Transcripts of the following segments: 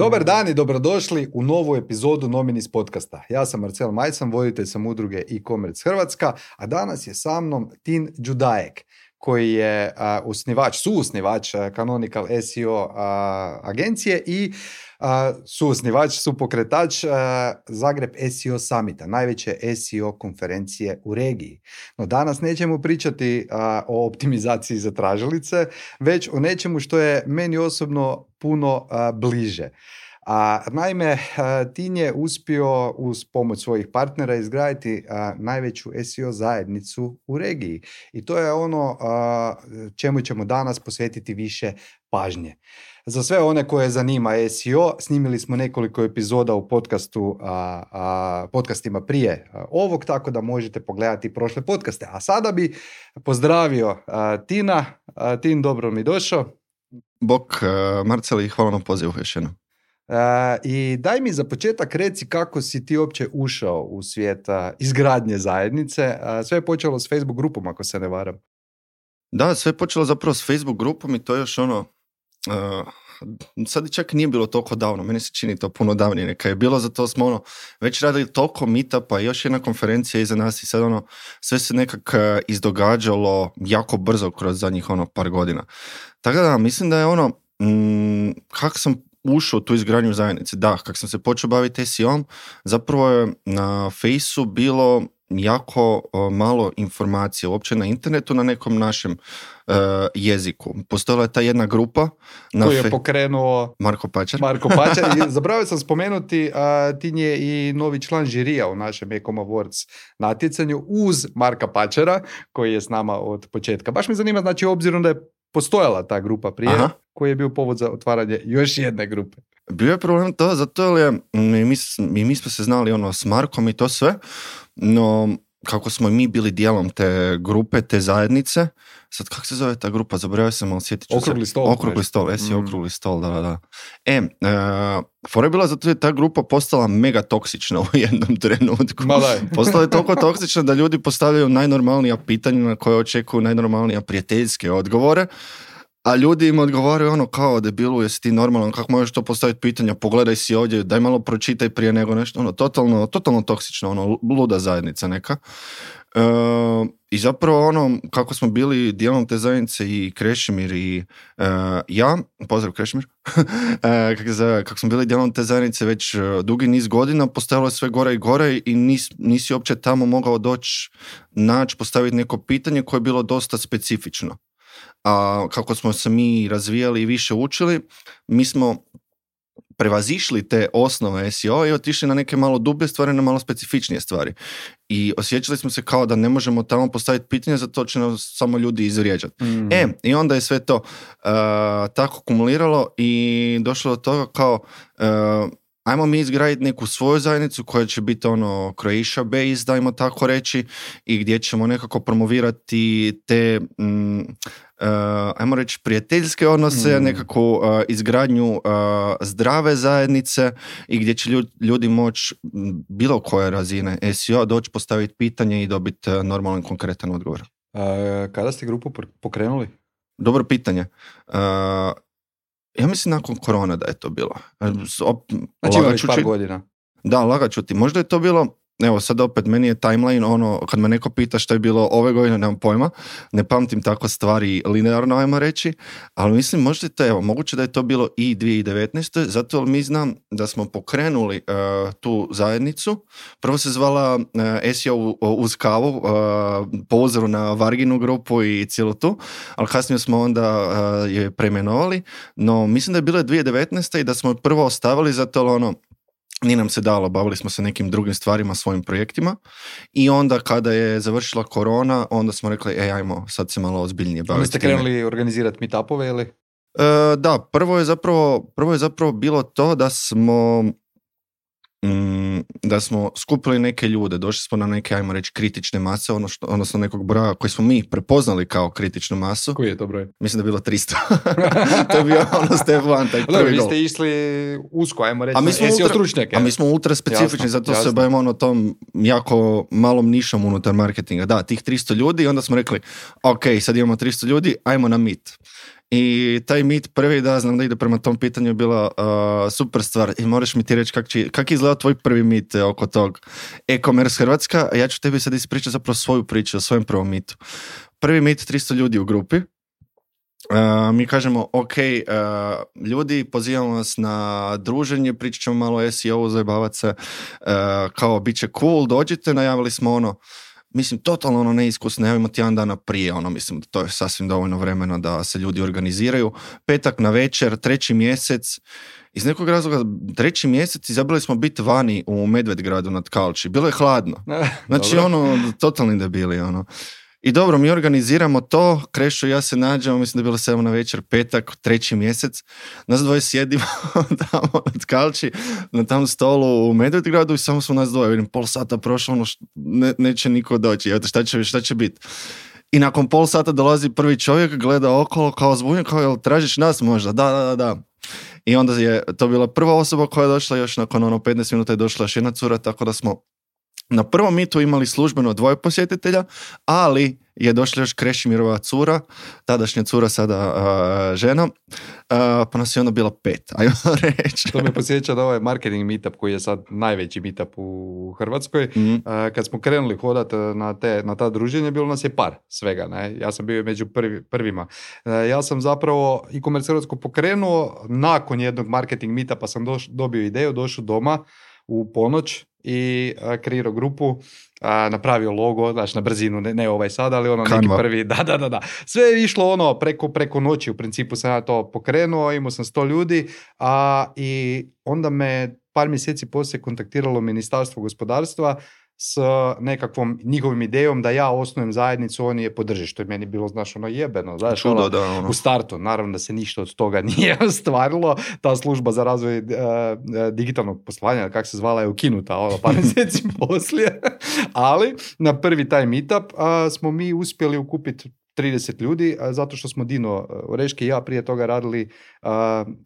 Dobar dan i dobrodošli u novu epizodu Nominis podcasta. Ja sam Marcel Majsan, voditelj sam udruge e-commerce Hrvatska, a danas je sa mnom Tin Đudajek, koji je suosnivač Canonical SEO agencije i supokretač Zagreb SEO Summita, najveće SEO konferencije u regiji. No danas nećemo pričati o optimizaciji za tražilice, već o nečemu što je meni osobno puno bliže. Naime, Tin je uspio uz pomoć svojih partnera izgraditi najveću SEO zajednicu u regiji. I to je ono čemu ćemo danas posvetiti više pažnje. Za sve one koje zanima SEO, snimili smo nekoliko epizoda u podcastima prije ovog, tako da možete pogledati prošle podcaste. A sada bi pozdravio Tina. Tin, dobro mi došao. Bok, Marcel, i hvala na pozivu još jednom. I daj mi za početak reci kako si ti uopće ušao u svijet izgradnje zajednice. Sve je počelo s Facebook grupom, ako se ne varam. Da, sve je počelo zapravo s Facebook grupom i to je još sad čak nije bilo toliko davno, meni se čini to puno davnije neka je bilo, zato smo već radili toliko meetupa i još jedna konferencija iza nas i sad sve se nekak izdogađalo jako brzo kroz zadnjih par godina. Tako da mislim da je kako sam ušao u tu izgradnju zajednice. Da, kako sam se počeo baviti SEO-om, zapravo je na Fejsu bilo jako malo informacije uopće na internetu na nekom našem jeziku. Postojala je ta jedna grupa koju je pokrenuo Marko Pačar. I zaboravio sam spomenuti, Tin je i novi član žirija u našem Ecom Awards natjecanju uz Marka Pačara, koji je s nama od početka. Baš me zanima, znači, obzirom da je postojala ta grupa prije, koji je bio povod za otvaranje još jedne grupe. Bio je problem to, zato je mi smo se znali s Markom i to sve, no kako smo mi bili dijelom te grupe, te zajednice, sad kako se zove ta grupa, zaboravio sam, ali sjetit ću Okrugli se. stol. Okrugli stol, Okrugli stol, da. Fora je bila zato je ta grupa postala mega toksična u jednom trenutku. Postala je toliko toksična da ljudi postavljaju najnormalnija pitanja na koje očekuju najnormalnija prijateljske odgovore, a ljudi im odgovaraju kao debilu, jesi ti normalan, kako možeš to postaviti pitanja, pogledaj si ovdje, daj malo pročitaj prije nego nešto, totalno toksično, luda zajednica neka. I zapravo kako smo bili dijelom te zajednice i Krešimir i ja, pozdrav Krešimir, kako smo bili dijelom te zajednice već dugi niz godina, postojalo je sve gore i gore i nisi uopće tamo mogao doći, postaviti neko pitanje koje je bilo dosta specifično. A kako smo se mi razvijali i više učili, mi smo prevazišli te osnove SEO i otišli na neke malo dublje stvari, na malo specifičnije stvari. I osjećali smo se kao da ne možemo tamo postaviti pitanje, zato će nas samo ljudi izvrijeđati. I onda je sve to tako kumuliralo i došlo do toga kao ajmo mi izgraditi neku svoju zajednicu koja će biti Croatia based, dajmo tako reći, i gdje ćemo nekako promovirati te ajmo reći prijateljske odnose, nekako izgradnju zdrave zajednice i gdje će ljudi moći bilo koje razine SEO doći postaviti pitanje i dobiti normalan konkretan odgovor. Kada ste grupu pokrenuli? Dobro pitanje. Ja mislim nakon korona da je to bilo. Znači ima već par godina. Da, lagat ću ti. Možda je to bilo, evo sad opet meni je timeline, kad me neko pita što je bilo ove godine, nemam pojma, ne pamtim tako stvari linearno, ajmo reći, ali mislim možda je to, moguće da je to bilo i 2019. Zato mi znam da smo pokrenuli tu zajednicu. Prvo se zvala SEO uz kavu, po uzoru na Varginu grupu i cijelu tu, ali kasnije smo onda je preimenovali, no mislim da je bilo 2019. i da smo je prvo ostavili zato nije nam se dalo, bavili smo se nekim drugim stvarima, svojim projektima i onda kada je završila korona, onda smo rekli, ajmo sad se malo ozbiljnije baviti. Ali ste krenuli organizirati meetupove ili? Da, prvo je zapravo bilo to da smo skupili neke ljude, došli smo na neke, ajmo reći, kritične mase, odnosno nekog broja koji smo mi prepoznali kao kritičnu masu. Koji je to broj? Mislim da je bilo 300. To je bio step one, taj prvi vi ste išli usko, ajmo reći, SEO stručnjake. A mi smo ultra specifični, zato se bavimo tom jako malom nišom unutar marketinga. Da, tih 300 ljudi i onda smo rekli, ok, sad imamo 300 ljudi, ajmo na meet. I taj meet prvi, da, znam da ide prema tom pitanju, je bila super stvar. I moraš mi ti reći kak je izgledao tvoj prvi meet oko tog e-commerce Hrvatska, a ja ću tebi sad ispričati zapravo svoju priču o svojem prvom meetu. Prvi meet, 300 ljudi u grupi. Mi kažemo, ok, ljudi, pozivamo vas na druženje, pričat ćemo malo o SEO, zajebavat se, kao bit će cool, dođite, najavili smo mislim, totalno neiskusno, najavimo tjedan dana prije, mislim, to je sasvim dovoljno vremena da se ljudi organiziraju. Petak na večer, 3. mjesec, iz nekog razloga 3. mjesec izabrali smo biti vani u Medvedgradu nad Kalči, bilo je hladno, znači totalni debili, I dobro, mi organiziramo to, Krešo i ja se nađemo, mislim da je bilo 7 na večer, petak, 3. mjesec, nas dvoje sjedimo tamo na Tkalči, na tam stolu u Medvedgradu i samo smo nas dvoje, vidim, pol sata prošlo, neće niko doći, evo šta će biti. I nakon pol sata dolazi prvi čovjek, gleda okolo, kao zbunjen, kao jel tražiš nas možda? Da. I onda je to bila prva osoba koja je došla, još nakon 15 minuta je došla još jedna cura, tako da smo na prvom meetu imali službeno 2 posjetitelja, ali je došla još Krešimirova cura, tadašnja cura, sada žena, pa nas je onda bilo 5, ajmo reći. To me posjeća da ovaj marketing meetup koji je sad najveći meetup u Hrvatskoj. Kad smo krenuli hodati na ta druženja, bilo nas je par svega. Ne? Ja sam bio među prvima. Ja sam zapravo e-commerce Hrvatsku pokrenuo, nakon jednog marketing meetupa sam dobio ideju, došao doma u ponoć i kreirao grupu, napravio logo, znači na brzinu, ne ovaj sad, ali neki prvi, da. Sve je išlo preko noći, u principu sam ja to pokrenuo, imao sam 100 ljudi, i onda me par mjeseci poslije kontaktiralo Ministarstvo gospodarstva s nekakvom njihovim idejom da ja osnujem zajednicu, oni je podrže, što je meni bilo, jebeno, u startu. Naravno da se ništa od toga nije ostvarilo, ta služba za razvoj digitalnog poslovanja, kako se zvala, je ukinuta par mjeseci poslije, ali na prvi taj meetup smo mi uspjeli ukupiti 30 ljudi, zato što smo Dino Oreški i ja prije toga radili,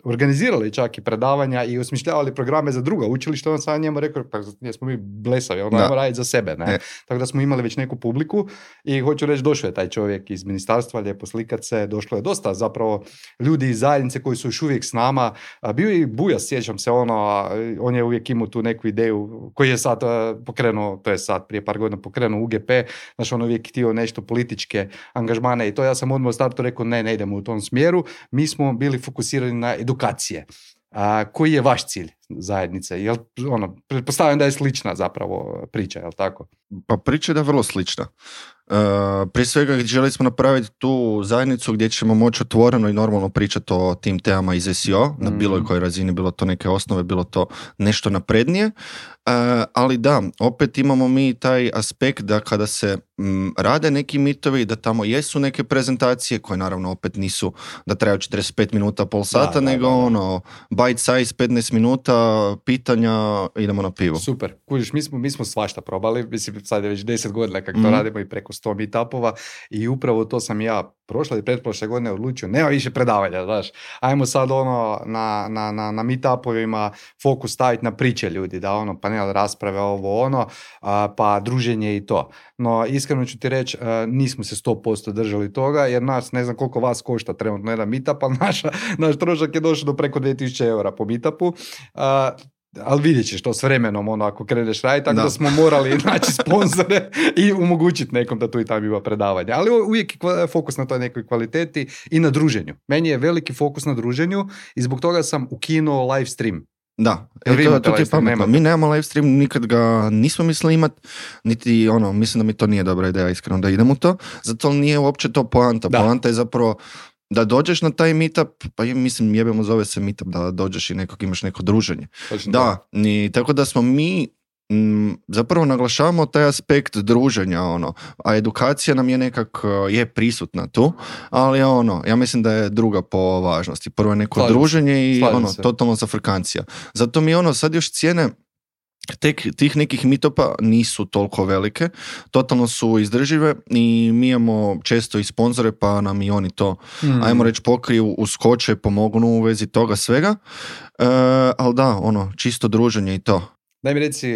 organizirali čak i predavanja i osmišljavali programe za druga učilišta. On sam njemu rekao, pa jesmo mi blesavi, ajmo raditi za sebe. Ne? Tako da smo imali već neku publiku i hoću reći, došao je taj čovjek iz ministarstva, lijepo slikat se, došlo je dosta zapravo ljudi iz zajednice koji su još uvijek s nama. Bio je i Bujas, sjećam se, on je uvijek imao tu neku ideju koji je sad pokrenuo, to je sad prije par godina pokrenuo UGP, znači on uvijek htio nešto političke angažmane i to, ja sam odmah u startu rekao ne idemo u tom smjeru, mi smo bili fokusirani na edukacije. Koji je vaš cilj zajednice? Jel, pretpostavljam da je slična zapravo priča, jel tako? Pa priča je da je vrlo slična. Prije svega želi smo napraviti tu zajednicu gdje ćemo moći otvoreno i normalno pričati o tim temama iz SEO, na bilo kojoj razini, bilo to neke osnove, bilo to nešto naprednije, ali da, opet imamo mi taj aspekt da kada se rade neki mitovi, da tamo jesu neke prezentacije koje naravno opet nisu da traju 45 minuta, pol sata, nego bite size 15 minuta, pitanja, idemo na pivo. Super, kužiš, mi smo svašta probali, mislim sad je već 10 godina kako to radimo i preko 100 meetupova i upravo to sam ja prošle i pretprošle godine odlučio, nema više predavanja, znaš, ajmo sad na meetupovima fokus staviti na priče ljudi, da panel rasprave, pa druženje i to. No, iskreno ću ti reći, nismo se 100% držali toga, jer nas, ne znam koliko vas košta trenutno jedan meetup, ali naš trošak je došao do preko 2000 eura po meetupu, ali vidjet ćeš to s vremenom, ako kreneš raditi, tako da smo morali naći sponzore i omogućiti nekom da tu i tamo ima predavanja. Ali uvijek je fokus na toj nekoj kvaliteti i na druženju. Meni je veliki fokus na druženju i zbog toga sam ukinuo live stream. Da, to ti je pametno. Mi nemamo live stream, nikad ga nismo mislili imat, niti mislim da mi to nije dobra ideja, iskreno, da idemo u to, zato nije uopće to poanta. Poanta je zapravo da dođeš na taj meetup, pa mislim jebemo zove se meetup, da dođeš i imaš neko druženje. Tako da smo mi zapravo naglašavamo taj aspekt druženja, a edukacija nam je je prisutna tu, ali ja mislim da je druga po važnosti. Prvo je neko druženje i totalno zafrkancija. Zato mi sad još cijene tih nekih meetupa nisu toliko velike, totalno su izdržive i mi imamo često i sponzore, pa nam i oni to, ajmo reći, pokriju, uskoče, pomognu u vezi toga svega, ali da, čisto druženje i to. Daj mi reci,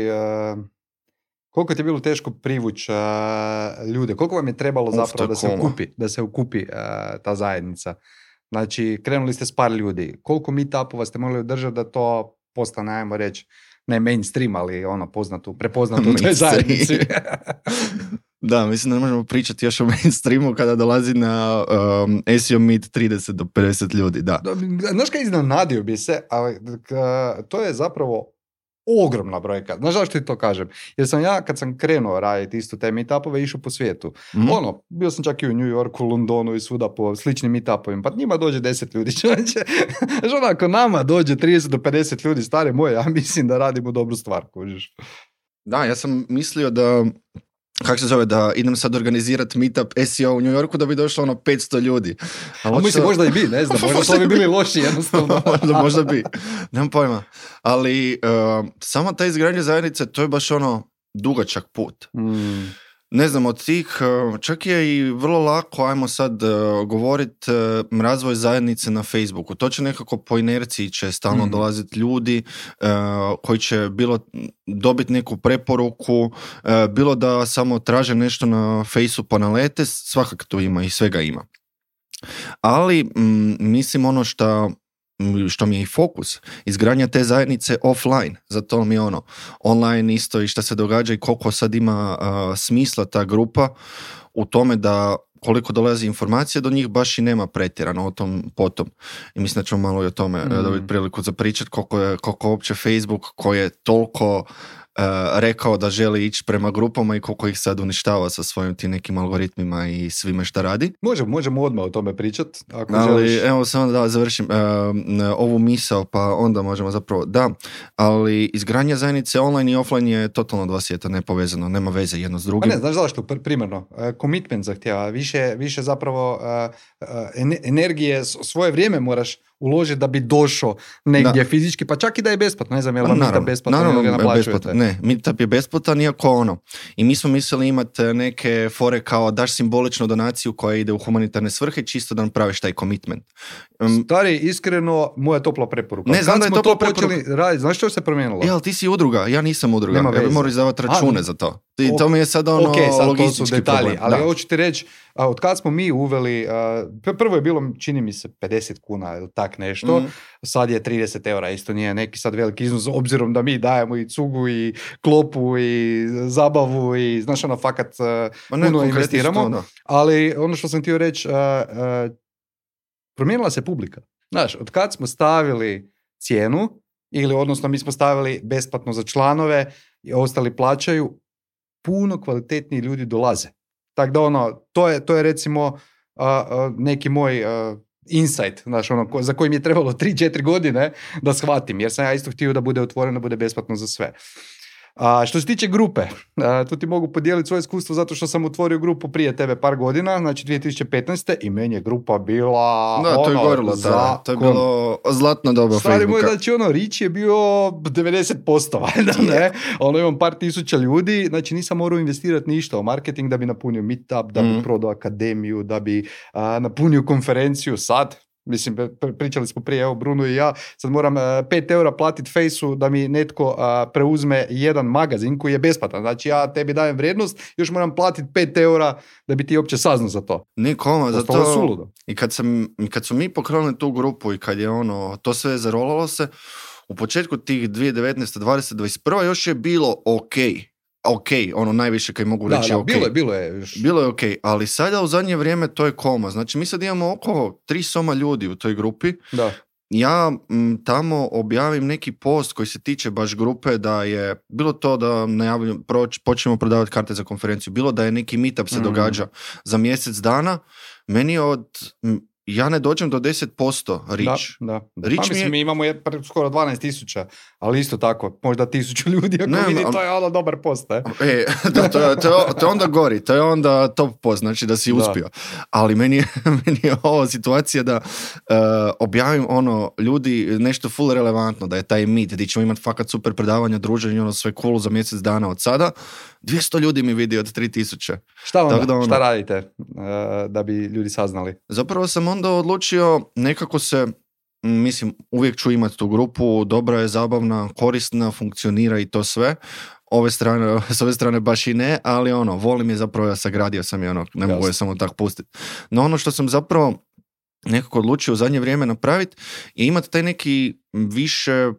koliko ti je bilo teško privući ljude, koliko vam je trebalo zapravo da se ukupi ta zajednica? Znači, krenuli ste s par ljudi. Koliko meetupova ste morali održati da to postane, ajmo reći, ne mainstream, ali prepoznato u toj zajednici? Da, mislim da ne možemo pričati još o mainstreamu kada dolazi na SEO Meet 30 do 50 ljudi, da. Znaš kaj, iznenadio bi se, ali to je zapravo ogromna brojka. Znaš zašto ti to kažem? Jer sam ja, kad sam krenuo raditi isto te meetupove, išao po svijetu. Bio sam čak i u New Yorku, Londonu i svuda po sličnim meetupovima. Pa njima dođe 10 ljudi. Znaš, ako nama dođe 30 do 50 ljudi, stare moje, ja mislim da radimo dobru stvar, kužiš. Da, ja sam mislio da da idem sad organizirati meetup SEO u New Yorku da bi došlo 500 ljudi. Mislim, možda i bi, ne znam, možda to bi bili loši jednostavno. možda bi, nemam pojma. Ali sama ta izgradnja zajednice, to je baš dugačak put. Ne znam, od tih, čak je i vrlo lako, ajmo sad govoriti, razvoj zajednice na Facebooku. To će nekako po inerciji će stalno dolaziti ljudi koji će bilo dobiti neku preporuku, bilo da samo traže nešto na Facebooku pa nalete, svakako to ima i svega ima. Ali mislim što mi je i fokus, izgradnja te zajednice offline, zato mi je online isto i šta se događa i koliko sad ima smisla ta grupa u tome da koliko dolazi informacija do njih baš i nema pretjerano o tom potom. I mislim da ćemo malo i o tome dobiti priliku za pričati koliko uopće Facebook koji je toliko rekao da želi ići prema grupama i koliko ih sad uništava sa svojim tim nekim algoritmima i svime šta radi. Možemo odmah o tome pričati. Ali evo samo da završim ovu misao, pa onda možemo zapravo, da, ali izgradnja zajednice online i offline je totalno dva svijeta nepovezano, nema veze jedno s drugim. Pa ne, znaš zašto, primarno, commitment zahtjeva, više zapravo energije, svoje vrijeme moraš uložiti da bi došao negdje fizički, pa čak i da je besplatno. Ne znam, je li vam meetup besplatno ili ga naplaćujete? Ne, meetup je besplatan, iako I mi smo mislili imati neke fore kao daš simboličnu donaciju koja ide u humanitarne svrhe, čisto da napraviš taj commitment. Stari, iskreno, moja topla preporuka. Ne, znam da je topla preporuka. Znaš što se promijenilo? Ali ti si udruga, ja nisam udruga. Ja bi morao izdavati račune za to. To mi je sad sad to su detalji, ali hoću ti reći, od kad smo mi uveli, prvo je bilo, čini mi se, 50 kuna ili tak nešto, sad je 30 eura, isto nije neki sad veliki iznos, obzirom da mi dajemo i cugu i klopu i zabavu i znaš fakat puno investiramo, ali ono što sam htio reći, promijenila se publika. Znaš, od kad smo stavili cijenu, ili odnosno mi smo stavili besplatno za članove i ostali plaćaju, puno kvalitetniji ljudi dolaze. Tako da to je recimo neki moj insight, znaš, za koji mi je trebalo 3-4 godine da shvatim, jer sam ja isto htio da bude otvoreno, da bude besplatno za sve. Što se tiče grupe, tu ti mogu podijeliti svoje iskustvo zato što sam otvorio grupu prije tebe par godina, znači 2015. i meni je grupa bila to je gorilo, to je bilo zlatno doba Facebooka. Stari moj, znači reach je bio 90%, valjda, ne? Imam par tisuća ljudi, znači nisam morao investirati ništa u marketing da bi napunio meetup, da bi prodao akademiju, da bi napunio konferenciju. Sad, mislim, pričali smo prije, evo Bruno i ja, sad moram 5 eura platiti Fejsu da mi netko preuzme jedan magazin koji je besplatan. Znači ja tebi dajem vrijednost, još moram platiti 5 eura da bi ti uopće saznao za to. Nikoma, za to. I kad su mi pokrenuli tu grupu i kad je to sve zarolalo se, u početku tih 2019, 20, 21 još je bilo ok, najviše kaj mogu reći ok. Bilo je još. Bilo je ok, ali sada u zadnje vrijeme to je koma. Znači mi sad imamo oko 3 soma ljudi u toj grupi. Da. Ja tamo objavim neki post koji se tiče baš grupe, da je bilo to da počnemo prodavati karte za konferenciju, bilo da je neki meetup se događa za mjesec dana, meni ja ne dođem do 10% reach. Da. Mislim, mi imamo skoro 12,000, ali isto tako, možda 1,000 ljudi ako vidi, to je dobar post. To je onda gori, to je onda top post, znači da si uspio. Ali meni je ovo situacija da objavim ljudi nešto full relevantno, da je taj meet, gdje ćemo imati fakat super predavanja, druženje, sve cool za mjesec dana od sada. 200 ljudi mi vidi od 3,000. Šta radite da bi ljudi saznali? Zapravo sam onda odlučio nekako se, mislim, uvijek ću imati tu grupu, dobra je, zabavna, korisna, funkcionira i to sve. S ove strane baš i ne, ali volim je zapravo, ja sagradio sam je, ne mogu je samo tako pustiti. No što sam zapravo nekako odlučio u zadnje vrijeme napraviti je imati taj neki više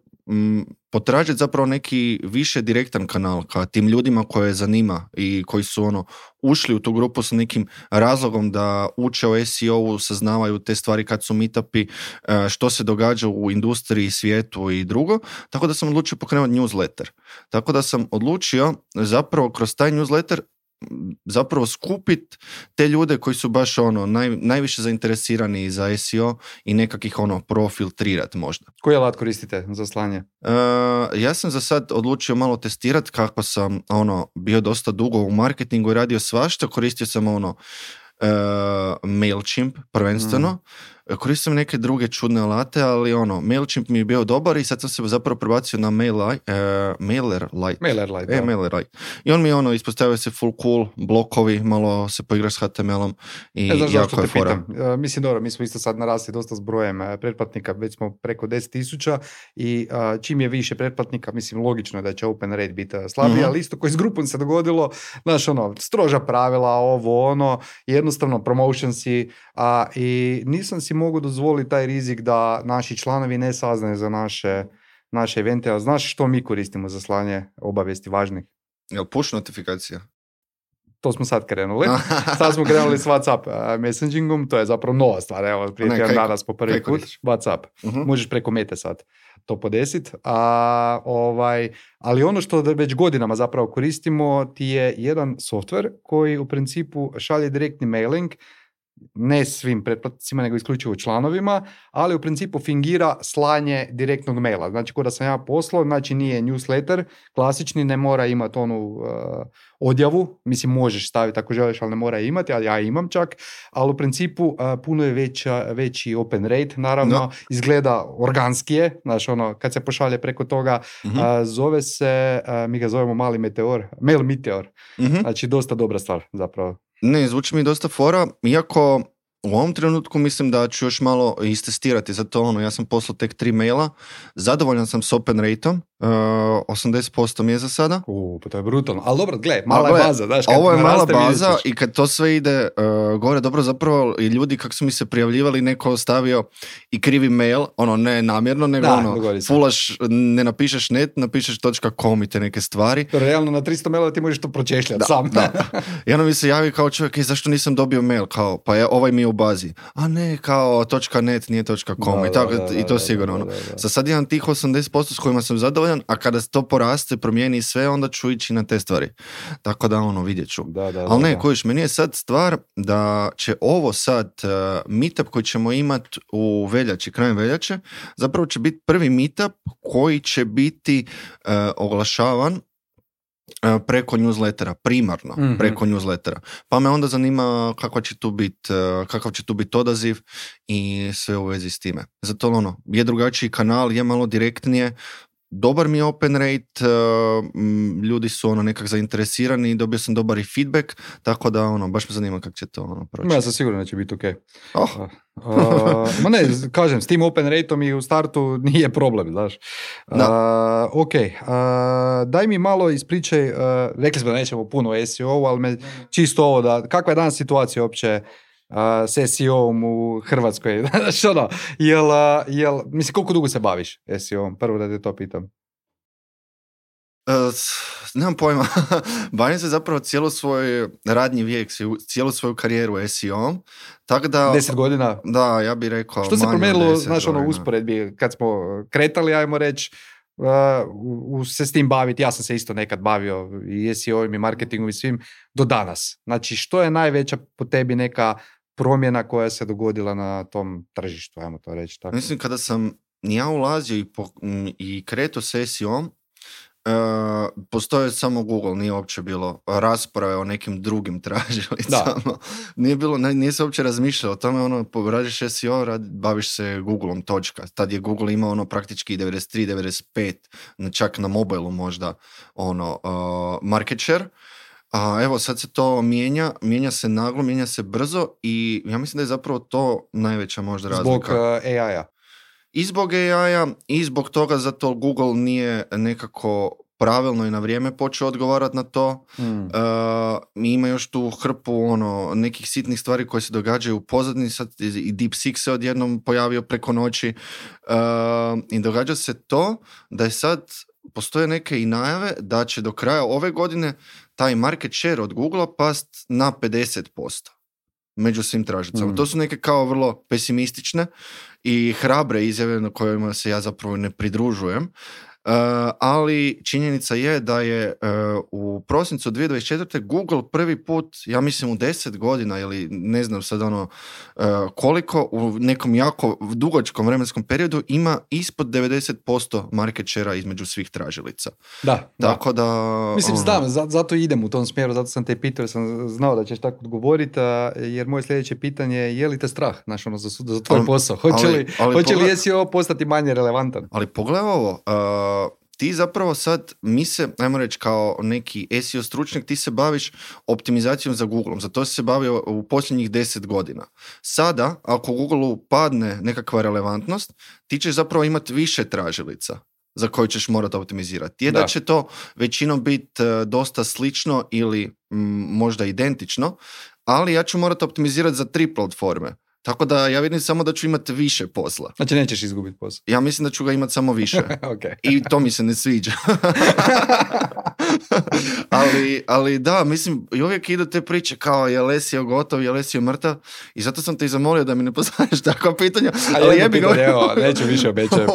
potražiti zapravo neki više direktan kanal ka tim ljudima koje zanima i koji su ušli u tu grupu sa nekim razlogom da uče o SEO-u, saznavaju te stvari kad su meetupi, što se događa u industriji, svijetu i drugo. Tako da sam odlučio pokrenuti newsletter. Tako da sam odlučio zapravo kroz taj newsletter zapravo skupiti te ljude koji su baš najviše zainteresirani za SEO i nekakvih profiltrirati možda. Koji alat koristite za slanje? Ja sam za sad odlučio malo testirati kako sam bio dosta dugo u marketingu i radio svašta. Koristio sam MailChimp prvenstveno. Koristio sam neke druge čudne alate, ali MailChimp mi je bio dobar i sad sam se zapravo prebacio na MailerLite. MailerLite. I on mi ispostavio se full cool, blokovi, malo se poigraš s HTML-om i jako je fora. Mislim, dobro, mi smo isto sad narasli dosta s brojem pretplatnika, već smo preko 10,000 i čim je više pretplatnika, mislim, logično je da će open rate biti slabiji, ali isto koji s grupom se dogodilo, znaš, stroža pravila, jednostavno promotionsi, i nisam si mogu dozvoliti taj rizik da naši članovi ne saznaju za naše evente. A znaš što mi koristimo za slanje obavijesti važnih? Jel push notifikacija? To smo sad krenuli. Sad smo krenuli s WhatsApp messagingom, to je zapravo nova stvar. Evo, prije tjedan danas po prvi put. WhatsApp. Možeš preko Mete sad to podesiti. Ali ono što već godinama zapravo koristimo ti je jedan software koji u principu šalje direktni mailing, ne svim pretplatnicima, nego isključivo članovima, ali u principu fingira slanje direktnog maila. Znači, kada sam ja poslao, znači nije newsletter, klasični, ne mora imati odjavu, mislim možeš staviti ako želiš, ali ne mora imati, ali ja imam čak, ali u principu puno je veći open rate, naravno, izgleda organskije, znači kad se pošalje preko toga, zove se, mi ga zovemo mali meteor, mail meteor, znači dosta dobra stvar zapravo. Ne, zvuči mi dosta fora, iako u ovom trenutku mislim da ću još malo istestirati, zato ja sam poslao tek 3 maila, zadovoljan sam s open rateom, 80% mi je za sada. Pa to je brutalno, ali dobro, mala je baza. Daš, ovo je mala baza i kad to sve ide gore, dobro, zapravo i ljudi kako su mi se prijavljivali, neko ostavio i krivi mail, ne namjerno, nego fulaš, ne napišeš net, napišeš .com i te neke stvari. Realno na 300 maila ti možeš to pročešljati sam. Da. I mi se javi kao čovjek, zašto nisam dobio mail, kao, pa je ovaj mi je u bazi. A ne, kao .net nije .com i to sigurno. Sad imam tih 80% s kojima sam zadovoljan, a kada to poraste, promijeni sve, onda ću ići na te stvari. Tako da vidjet ću. Ali ne, kojiš, meni je sad stvar da će ovo sad meetup koji ćemo imati u veljači, krajem veljače, zapravo će biti prvi meetup koji će biti oglašavan preko newslettera, primarno preko newslettera. Pa me onda zanima kakav će tu biti odaziv i sve u vezi s time. Zato je drugačiji kanal, je malo direktnije, dobar mi je open rate, ljudi su nekak zainteresirani i dobio sam dobar i feedback, tako da baš me zanima kako će to proći. Ja sam siguran da će biti ok. Ma ne, kažem, s tim open rateom i u startu nije problem, znaš. Ok, daj mi malo ispričaj, rekli smo da nećemo puno o SEO, ali me čisto ovo kakva je danas situacija uopće s SEO-om u Hrvatskoj? Mislim, koliko dugo se baviš SEO-om? Prvo da te to pitam. Nemam pojma. Bavim se zapravo cijelo svoj radni vijek, cijelu svoju karijeru SEO-om. Tako da, 10 godina? Da, ja bih rekao. Što se promijenilo, znaš, usporedbi kad smo kretali, ajmo reći, se s tim baviti, ja sam se isto nekad bavio i SEO-im i marketingom i svim, do danas. Znači, što je najveća po tebi neka promjena koja se dogodila na tom tržištu, ajmo to reći tako? Mislim, kada sam ja ulazio i kretao s SEO-om, postoje samo Google, nije uopće bilo rasprave o nekim drugim tražilicama. Nije se uopće razmišljalo o tome, radiš SEO, baviš se Googleom, točka. Tad je Google imao praktički 93, 95, čak na mobilu možda market share. A evo sad se to mijenja se naglo, mijenja se brzo i ja mislim da je zapravo to najveća možda razlika. Zbog AI-a. I zbog AI-a i zbog toga zato Google nije nekako pravilno i na vrijeme počeo odgovarati na to. Ima još tu hrpu nekih sitnih stvari koje se događaju u pozadini, sad i DeepSeek se odjednom pojavio preko noći i događa se to da je sad postoje neke i najave da će do kraja ove godine taj market share od Googlea past na 50% među svim tražicama. To su neke kao vrlo pesimistične i hrabre izjave na kojima se ja zapravo ne pridružujem. Ali činjenica je da je u prosincu 2024. Google prvi put, ja mislim u 10 godina ili ne znam sad koliko, u nekom jako dugačkom vremenskom periodu ima ispod 90% market share između svih tražilica. Tako da... Mislim, znam, zato idem u tom smjeru, zato sam te pitao, sam znao da ćeš tako odgovoriti, jer moje sljedeće pitanje je li te strah, za tvoj posao? Hoće li SEO postati manje relevantan? Ali pogledaj ovo, ti zapravo sad, ajmo reći kao neki SEO stručnjak, ti se baviš optimizacijom za Googlom, za to si se bavio u posljednjih 10 godina. Sada, ako Googleu padne nekakva relevantnost, ti ćeš zapravo imati više tražilica za koje ćeš morati optimizirati. Da će to većinom biti dosta slično ili možda identično, ali ja ću morati optimizirati za 3 platforme. Tako da ja vidim samo da ću imati više posla. Znači nećeš izgubiti posao? Ja mislim da ću ga imati samo više. Okay. I to mi se ne sviđa. ali da, mislim, i uvijek idu te priče kao je li SEO gotov, je li SEO mrtav. I zato sam te i zamolio da mi ne postavljaš takva pitanja. Neću više obećajem.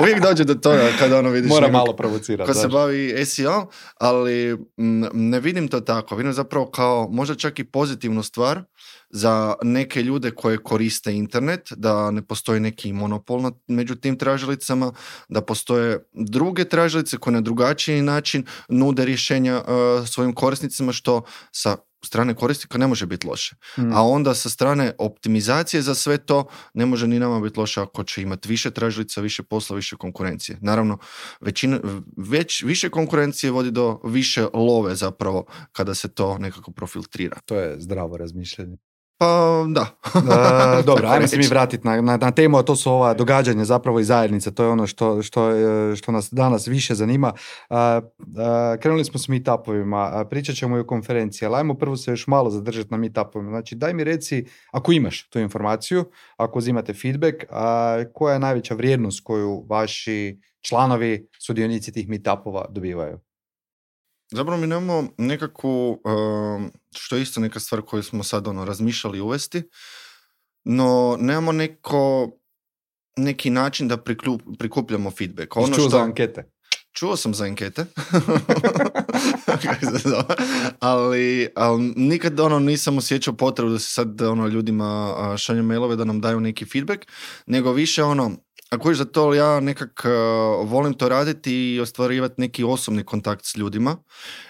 Uvijek dođe do toga kada vidiš... Mora malo provocirati. Ko se bavi SEO, ali ne vidim to tako. Vidim zapravo kao možda čak i pozitivnu stvar za neke ljude koje koriste internet, da ne postoji neki monopol među tim tražilicama, da postoje druge tražilice koje na drugačiji način nude rješenja svojim korisnicima, što sa strane korisnika ne može biti loše. A onda sa strane optimizacije za sve to ne može ni nama biti loše ako će imati više tražilica, više posla, više konkurencije. Naravno, više konkurencije vodi do više love zapravo kada se to nekako profiltrira. To je zdravo razmišljanje. Pa da. Dobro, ajmo se mi vratiti na temu, a to su ova događanja zapravo i zajednice. To je ono što nas danas više zanima. Krenuli smo s meetupovima, pričat ćemo i o konferenciji, ali ajmo prvo se još malo zadržati na meetupovima. Znači, daj mi reci, ako imaš tu informaciju, ako uzimate feedback, koja je najveća vrijednost koju vaši članovi, sudionici tih meetupova dobivaju? Zapravo mi nemamo nekakvu, što je isto neka stvar koju smo sad razmišljali uvesti, no nemamo neki način da prikupljamo feedback. Čuo za ankete? Čuo sam za ankete, ali nikad nisam osjećao potrebu da se sad ljudima šaljem mailove da nam daju neki feedback, nego više ako za to ja nekak volim to raditi i ostvarivati neki osobni kontakt s ljudima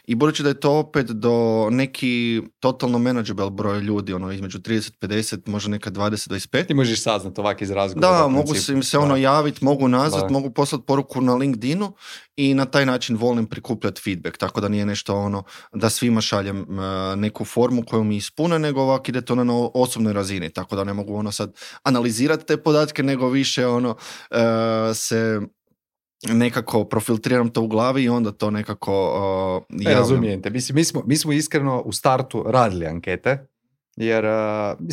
i budući da je to opet do neki totalno manageable broj ljudi, između 30-50, možda neka 20-25. Ti možeš saznati ovak iz razgovora. Da, mogu im se javiti, mogu nazvat, mogu poslati poruku na LinkedInu i na taj način volim prikupljati feedback, tako da nije nešto da svima šaljem neku formu koju mi ispune, nego ovak ide to na osobnoj razini, tako da ne mogu sad analizirati te podatke, nego više se nekako profiltriram to u glavi i onda to nekako javljam. Razumijem te. Mi smo iskreno u startu radili ankete, jer,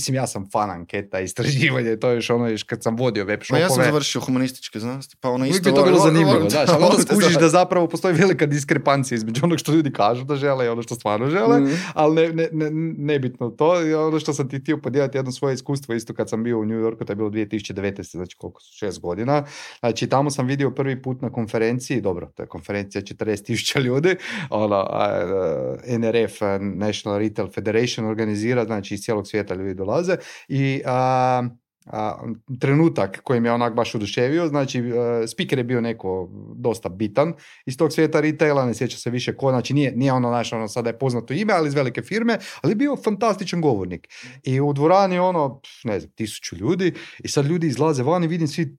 ja sam fan anketa, istraživanja, to je još kad sam vodio web shopove. Ja sam završio humanističke znanosti, pa isto... Uvijek bi to bilo zanimljivo, znaš, ali onda skužiš da zapravo postoji velika diskrepancija između onog što ljudi kažu da žele i ono što stvarno žele, ali nebitno to. I ono što sam ti htio podijeliti jedno svoje iskustvo, isto kad sam bio u New Yorku, to je bilo 2019, znači koliko su, 6 godina. Znači, tamo sam vidio prvi put na konferenciji, dobro, to je konferencija 40,000 ljudi, NRF, National Retail Federation, organizira, znači iz cijelog svijeta ljudi dolaze i trenutak koji me onak baš oduševio, znači speaker je bio neko dosta bitan iz tog svijeta retaila, ne sjeća se više ko, znači nije sada je poznato ime, ali iz velike firme, ali je bio fantastičan govornik. I u dvorani 1000 ljudi i sad ljudi izlaze van i vidim svi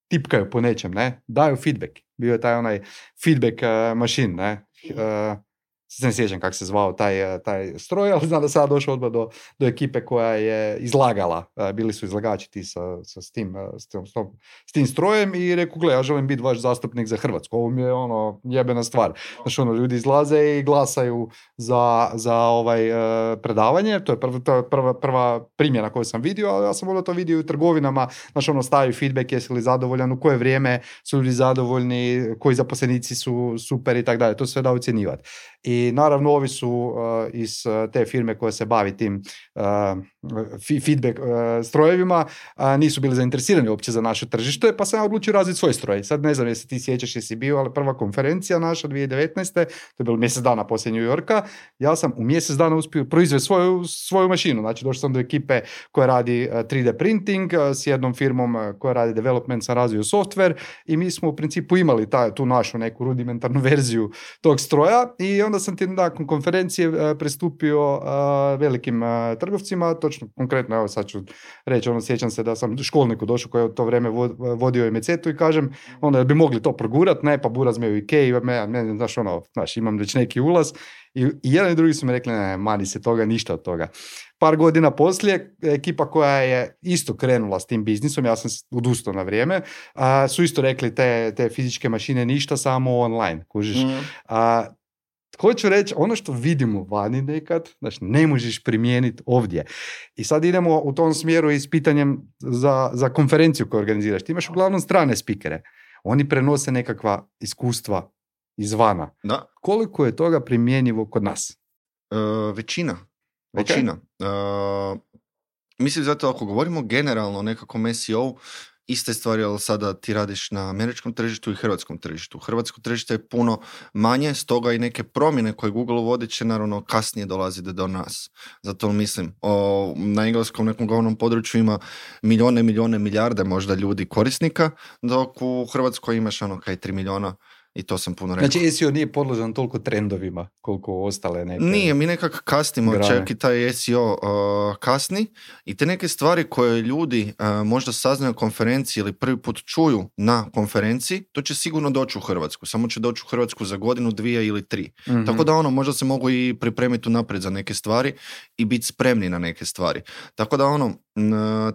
tipkaju po nečem, daju feedback. Bio je taj feedback machine, se ne sjećam kako se zvao taj stroj, ali znam da sam došao odmah do ekipe koja je izlagala, bili su izlagači ti s tim strojem i rekao, gle, ja želim biti vaš zastupnik za Hrvatsku, ovo mi je jebena stvar. Znači, ljudi izlaze i glasaju za predavanje, to je prva primjena koju sam vidio, ali ja sam onda to vidio u trgovinama, znači, stavio feedback, jesi li zadovoljan, u koje vrijeme su ljudi zadovoljni, koji zaposlenici su super i tako dalje, to sve da ocjenjivati. I naravno ovi su iz te firme koja se bavi tim feedback strojevima, nisu bili zainteresirani uopće za naše tržište, pa sam ja odlučio razviti svoj stroj. Sad ne znam jesi ti sjećaš, jesi bio, ali prva konferencija naša 2019. To je bilo mjesec dana poslije New Yorka. Ja sam u mjesec dana uspio proizvesti svoju mašinu. Znači došao sam do ekipe koja radi 3D printing, s jednom firmom koja radi development, sam razvio software i mi smo u principu imali tu našu neku rudimentarnu verziju tog stroja i onda sam ti nakon konferencije pristupio velikim trgovcima, točno konkretno, evo sad ću reći, sjećam se da sam školniku došao koji je u to vrijeme vodio Mecetu i kažem, onda bi mogli to progurat, ne, pa buraz me u Ikei, znaš, imam već neki ulaz i jedan i drugi su mi rekli, ne, mani se toga, ništa od toga. Par godina poslije, ekipa koja je isto krenula s tim biznisom, ja sam odustao na vrijeme, su isto rekli te fizičke mašine ništa, samo online, kužiš. Hoću reći, ono što vidimo vani nekad, znači ne možeš primijeniti ovdje. I sad idemo u tom smjeru i s pitanjem za konferenciju koju organiziraš. Ti imaš uglavnom strane spikere. Oni prenose nekakva iskustva izvana. Da. Koliko je toga primjenjivo kod nas? Većina. Mislim, zato ako govorimo generalno o nekakvom SEO, iste stvari, ali sada ti radiš na američkom tržištu i hrvatskom tržištu. Hrvatsko tržište je puno manje, stoga i neke promjene koje Google uvodi će naravno kasnije dolaziti do nas. Zato mislim, na engleskom nekom govornom području ima milijarde možda ljudi korisnika, dok u Hrvatskoj imaš 3 milijuna. I to sam puno rekao. Znači SEO nije podložan toliko trendovima koliko ostale neke... Nije, mi nekako kasnimo, čak i taj SEO kasni i te neke stvari koje ljudi možda saznaju na konferenciji ili prvi put čuju na konferenciji, to će sigurno doći u Hrvatsku. Samo će doći u Hrvatsku za godinu, 2 ili 3. Mm-hmm. Tako da možda se mogu i pripremiti unaprijed za neke stvari i biti spremni na neke stvari. Tako da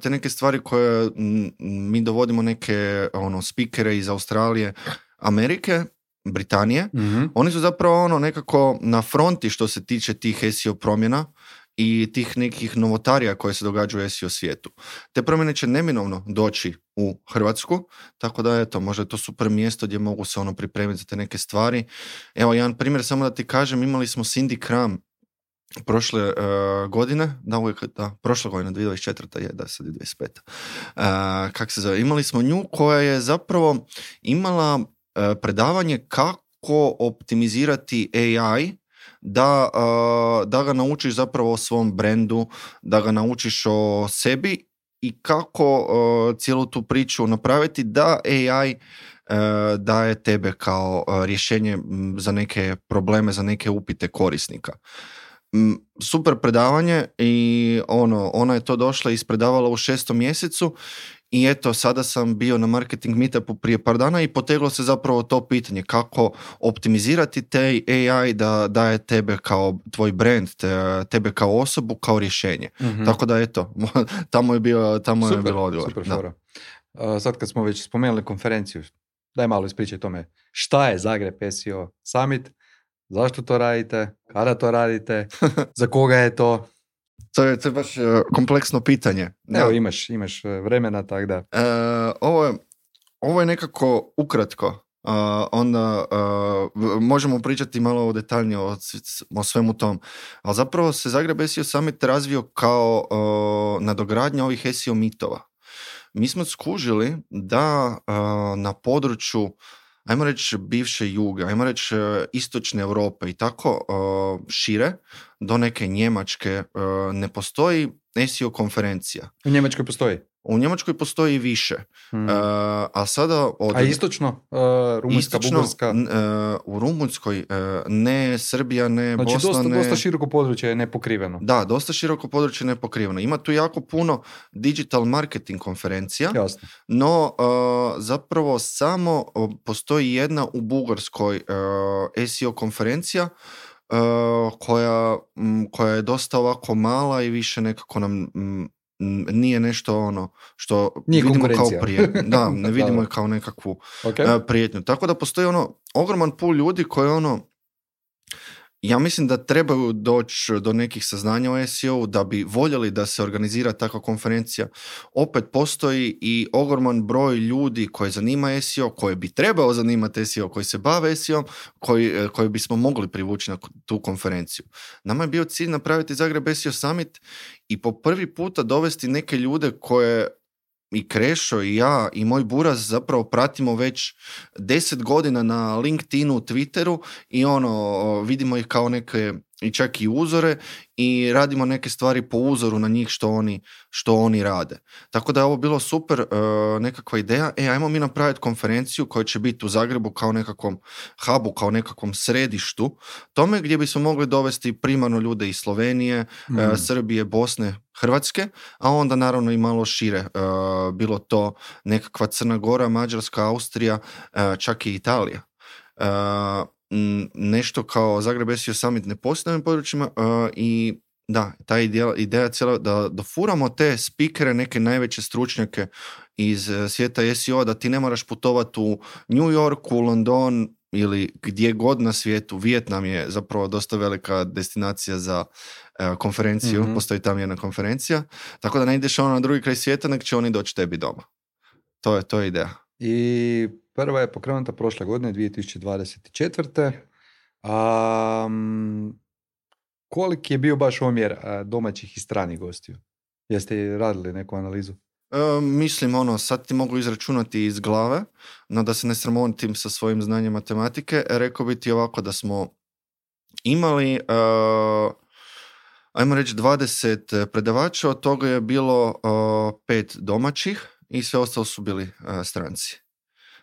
te neke stvari koje mi dovodimo neke spikere iz Australije, Amerike, Britanije, oni su zapravo nekako na fronti što se tiče tih SEO promjena i tih nekih novotarija koje se događaju u SEO svijetu. Te promjene će neminovno doći u Hrvatsku, tako da možda je to super mjesto gdje mogu se pripremiti za te neke stvari. Evo jedan primjer, samo da ti kažem, imali smo Cindy Kram prošle godine, prošle godine, 2024. Sad je 25. Kako se zove? Imali smo nju koja je zapravo imala predavanje kako optimizirati AI da ga naučiš zapravo o svom brendu, da ga naučiš o sebi i kako cijelu tu priču napraviti da AI daje tebe kao rješenje za neke probleme, za neke upite korisnika. Super predavanje i ona je to došla i ispredavala u 6. mjesecu i eto, sada sam bio na marketing meetupu prije par dana i poteglo se zapravo to pitanje kako optimizirati te AI da daje tebe kao tvoj brand, tebe kao osobu, kao rješenje. Mm-hmm. Tako da eto, tamo je bilo odgovor. Super fora. Sad kad smo već spomenuli konferenciju, daj malo ispričaj tome. Šta je Zagreb SEO Summit? Zašto to radite? Kada to radite? Za koga je to? To je baš kompleksno pitanje. Evo, imaš vremena, tako da. Ovo je nekako ukratko. Onda možemo pričati malo detaljnije o svemu tom. Ali zapravo se Zagreb SEO Summit razvio kao nadogradnja ovih SEO mitova. Mi smo skužili da na području, ajmo reći, bivše Juge, ajmo reći istočne Europe i tako šire, do neke Njemačke ne postoji SEO konferencija. U Njemačkoj postoji? U Njemačkoj postoji više. A sada... A istočno? Rumunjska, Bugarska? U Rumunjskoj ne, Srbija ne, znači, Bosna ne. Dosta široko područje je nepokriveno. Da, dosta široko područje je nepokriveno. Ima tu jako puno digital marketing konferencija. Jasno. No, zapravo samo postoji jedna u Bugarskoj SEO konferencija koja je dosta ovako mala i više nekako nam nije nešto ono što nije vidimo kao prijetnju. Da, ne vidimo je kao nekakvu prijetnju. Tako da postoji ogroman pool ljudi koji ja mislim da trebaju doći do nekih saznanja o SEO da bi voljeli da se organizira takva konferencija. Opet postoji i ogroman broj ljudi koji zanima SEO, koji bi trebao zanimati SEO, koji se bave SEO, koji bismo mogli privući na tu konferenciju. Nama je bio cilj napraviti Zagreb SEO Summit i po prvi puta dovesti neke ljude koje i Krešo i ja i moj buraz zapravo pratimo već 10 godina na LinkedInu, Twitteru i vidimo ih kao neke i čak i uzore i radimo neke stvari po uzoru na njih što oni rade. Tako da je ovo bilo super nekakva ideja. Ajmo mi napraviti konferenciju koja će biti u Zagrebu kao nekakvom hubu, kao nekakvom središtu tome gdje bismo mogli dovesti primarno ljude iz Slovenije, Srbije, Bosne, Hrvatske, a onda naravno i malo šire. Bilo to nekakva Crna Gora, Mađarska, Austrija, čak i Italija. Nešto kao Zagreb SEO Summit ne postoji na ovim područjima i da, ta ideja cijela da dofuramo te speakere, neke najveće stručnjake iz svijeta SEO, da ti ne moraš putovati u New York, u London ili gdje god na svijetu. Vijetnam je zapravo dosta velika destinacija za konferenciju, postoji tam jedna konferencija, tako da ne ideš na drugi kraj svijeta, nek će oni doći tebi doma. To je ideja. I prva je pokrenuta prošle godine, 2024. Koliki je bio baš omjer domaćih i stranih gostiju? Jeste radili neku analizu? Mislim, sad ti mogu izračunati iz glave, no da se ne sramotim sa svojim znanjem matematike, rekao bi ti ovako da smo imali, ajmo reći 20 predavača, od toga je bilo 5 domaćih i sve ostalo su bili stranci.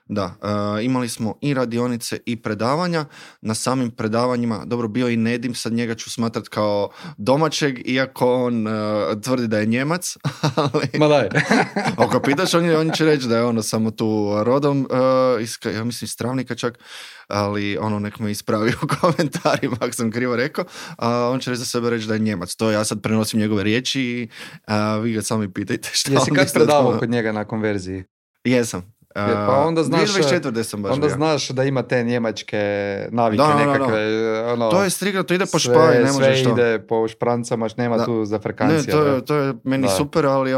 Da, imali smo i radionice i predavanja. Na samim predavanjima, dobro, bio i Nedim, sad njega ću smatrat kao domaćeg, iako on tvrdi da je Njemac. Ali, ma daj. Ako pitaš, on će reći da je samo tu rodom, ja mislim Stravnika čak, ali nek me ispravi u komentarima ako sam krivo rekao, on će reći za sebe reći da je Njemac. To ja sad prenosim njegove riječi i vi ga sami pitajte šta. Jesi kad predavao kod njega na konverziji? Jesam. Pa onda znaš, 2024. sam baš onda bio. znaš da ima te njemačke navike nekakve. To je striga, to ide po špari, ne možeš to. Sve ide po šprancama, nema tu zafrkancija. Ne, to je meni super, ali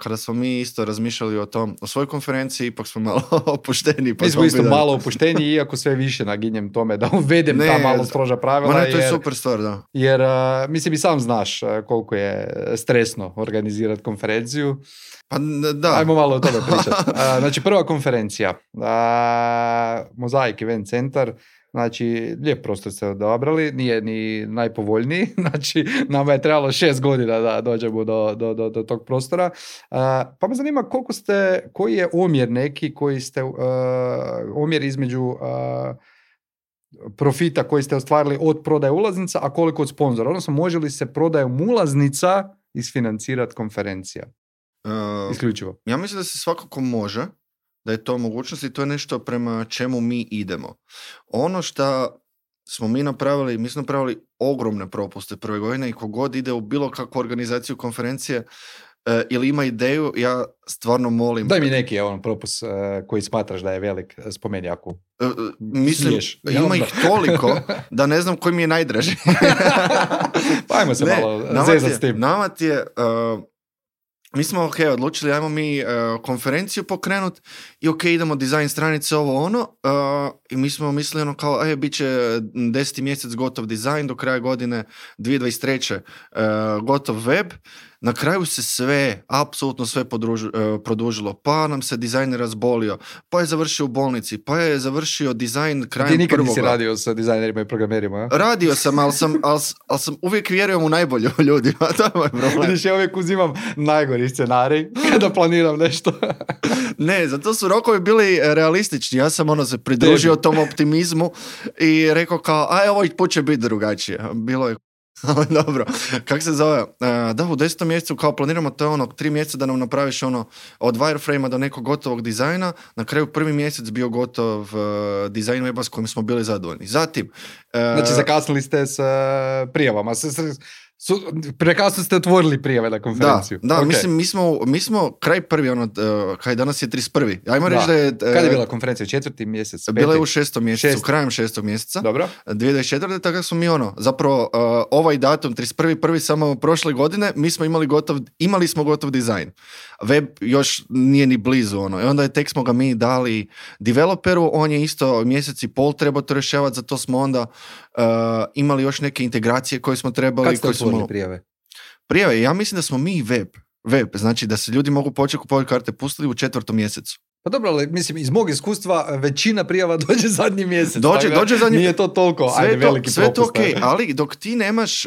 kada smo mi isto razmišljali o svojoj konferenciji, ipak smo malo opušteni. Mi smo isto malo opušteni, iako sve više naginjem tome da uvedem ta malo stroža pravila. To je super stvar, da. Jer, mislim, i sam znaš koliko je stresno organizirati konferenciju. Pa da. Ajmo malo o tome pričati. Znači, prva konferencija, Mozaik Event Centar, znači, lijep prostor ste odabrali, nije ni najpovoljniji, znači, nama je trebalo 6 godina da dođemo do tog prostora. Pa me zanima koji je omjer neki, omjer između profita koji ste ostvarili od prodaje ulaznica, a koliko od sponzora, odnosno može li se prodajom ulaznica isfinancirati konferencija? Isključivo. Ja mislim da se svakako može, da je to mogućnost i to je nešto prema čemu mi idemo. Ono što smo mi napravili ogromne propuste prve godine i kogod ide u bilo kakvu organizaciju konferencije ili ima ideju, ja stvarno molim... Daj mi neki propust koji smatraš da je velik, spomeni ako mislim, smiješ. Ima ih toliko da ne znam koji mi je najdraži. Pa ajmo se malo zezati s tim. Nama ti je... Mi smo odlučili, ajmo mi konferenciju pokrenut i idemo dizajn stranice i mi smo mislili kao, bit će 10. mjesec gotov dizajn, do kraja godine 2023. Gotov web. Na kraju se sve, apsolutno sve produžilo, pa nam se dizajner razbolio, pa je završio u bolnici, pa je završio dizajn krajem prvoga. Ti nikad nisi radio sa dizajnerima i programerima, a? Radio sam, ali sam uvijek vjerujem u najbolje u ljudima, to je moj problem. Vidiš, ja uvijek uzimam najgori scenarij kada planiram nešto. Ne, zato su rokovi bili realistični, ja sam se pridružio tom optimizmu i rekao kao, ovaj put će biti drugačije. Bilo je Ali dobro, kako se zove? Da, u 10. mjesecu kao planiramo to 3 mjeseca da nam napraviš od wireframe-a do nekog gotovog dizajna, na kraju prvi mjesec bio gotov dizajn weba s kojim smo bili zadovoljni. Zatim... Znači zakasnili ste s prijavama, prekasno ste otvorili prijave na konferenciju. Da, okay. Mislim, mi smo kraj prvi, kaj danas je 31. Ajmo reći da je... Kad je bila konferencija? 4. mjesec? Bila je u 6. mjesecu, krajem 6. mjeseca. Dobro. 2024. Tako smo mi zapravo ovaj datum, 31. samo prošle godine, mi smo imali smo gotov dizajn. Web još nije ni blizu, I onda tek smo ga mi dali developeru, on je isto mjesec i pol trebao to rješavati, zato smo onda imali još neke integracije koje smo trebali. Kad ste otvorili prijave? Prijave, ja mislim da smo mi web, znači da se ljudi mogu početi kupovati karte, pustili u 4. mjesecu. Pa dobro, ali mislim, iz mog iskustva većina prijava dođe zadnji mjesec. Dođe zadnji... Nije to toliko, veliki sve propust. Sve to ali dok ti nemaš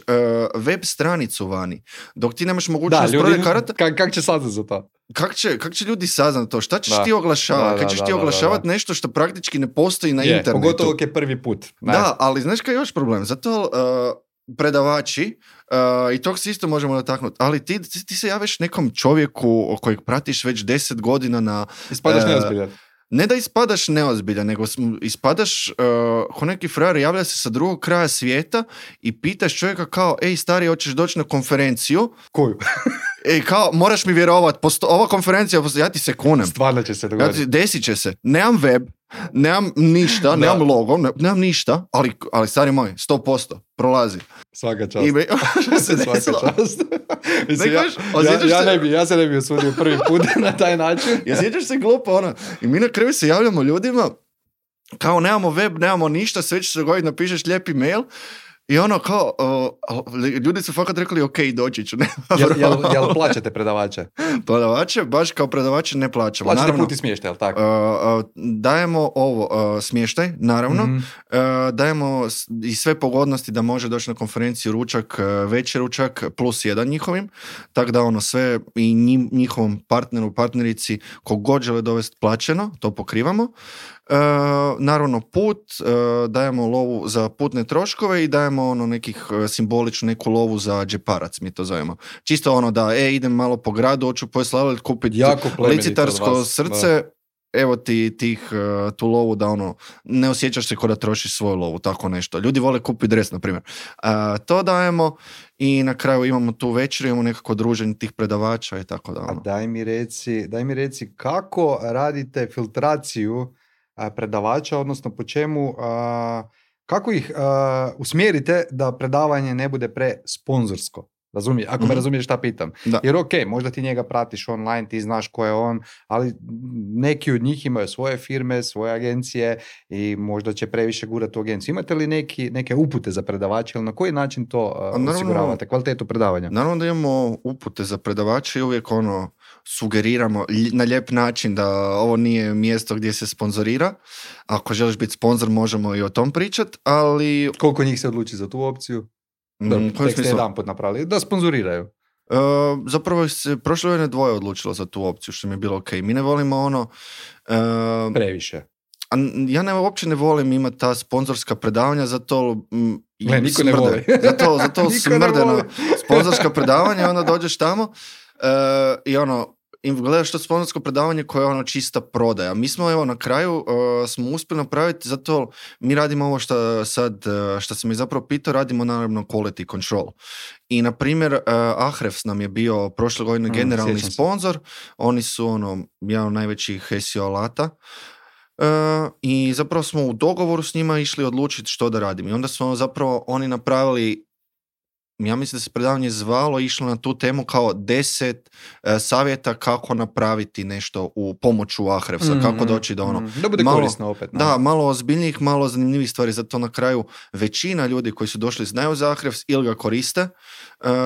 web stranicu vani, dok ti nemaš mogućnost prodaje karata... Kako će saznat za to? Kako će ljudi saznat to? Šta ćeš ti oglašavati? Kako ćeš ti oglašavati nešto što praktički ne postoji na internetu? Pogotovo je prvi put. Da, ali znaš kaj je još problem? Zato... predavači, i tog se isto možemo dotaknuti, ali ti se javiš nekom čovjeku kojeg pratiš već 10 godina na... Ispadaš neozbiljan. Ne da ispadaš neozbiljan, nego ispadaš ko neki frajer, javlja se sa drugog kraja svijeta i pitaš čovjeka kao, ej stari, hoćeš doći na konferenciju? Koju? Ej, kao, moraš mi vjerovati, ova konferencija, ja ti se kunem. Stvarno će se dogoditi. Desit će se. Nemam web, nemam ništa, nemam logo, nemam ništa, ali stari moj, 100%, prolazi. Svaka čast. Svaka čast. Mislim, ja se ne bi osudio prvi put na taj način. Ja sjećaš se glupo, I mi na kraju se javljamo ljudima, kao nemamo web, nemamo ništa, sve će se dogoditi, napišeš lijepi mail, i kao, ljudi su fakat rekli, ok, doći ću. Jel plaćate predavače? Predavače, baš kao predavače ne plaćamo. Plaćate put i smještaj, jel tako? Dajemo smještaj, naravno. Mm-hmm. Dajemo i sve pogodnosti da može doći na konferenciju ručak, večer ručak, plus 1 njihovim. Tako da sve i njihovom partneru, partnerici, kogod žele dovesti plaćeno, to pokrivamo. Naravno put, dajemo lovu za putne troškove i dajemo nekih simboličnu neku lovu za džeparac, mi to zovemo. Čisto da, idem malo po gradu, hoću pojesti kupiti licitarsko srce, da. Evo ti tu lovu da ne osjećaš se kao da trošiš svoju lovu, tako nešto. Ljudi vole kupiti dres, na primjer. To dajemo i na kraju imamo tu večer, imamo nekako druženje tih predavača i tako da. A daj mi reci kako radite filtraciju predavača, odnosno po čemu, kako ih usmjerite da predavanje ne bude presponzorsko. Ako me razumiješ šta pitam. Da. Jer možda ti njega pratiš online, ti znaš ko je on, ali neki od njih imaju svoje firme, svoje agencije i možda će previše gurati u agenciju. Imate li neke upute za predavače ili na koji način to osiguravate, kvalitetu predavanja? Naravno da imamo upute za predavače i uvijek sugeriramo na lijep način da ovo nije mjesto gdje se sponzorira. Ako želiš biti sponzor, možemo i o tom pričati, ali... Koliko njih se odluči za tu opciju? Tek ste jedan put napravili, da sponzoriraju. Zapravo se prošle godine 2 odlučilo za tu opciju, što mi je bilo ok. Mi ne volimo previše. Ja uopće ne volim imati ta sponzorska predavanja, zato niko ne voli. zato smrde na sponzorska predavanja, onda dođeš tamo i i gledaš to sponzorsko predavanje koje je čista prodaja. Mi smo na kraju smo uspjeli napraviti, zato mi radimo ovo što sam mi zapravo pitao, radimo naravno quality control. I na primjer Ahrefs nam je bio prošle godine generalni sponsor, oni su jedan od najvećih SEO alata. I zapravo smo u dogovoru s njima išli odlučiti što da radimo. I onda smo zapravo oni napravili, ja mislim da se predavanje zvalo, išlo na tu temu kao 10 savjeta kako napraviti nešto u pomoću Ahrefsa, kako doći do da bude korisno opet. Da, malo ozbiljnijih, malo zanimljivih stvari, zato na kraju većina ljudi koji su došli znaju za Ahrefs ili ga koriste,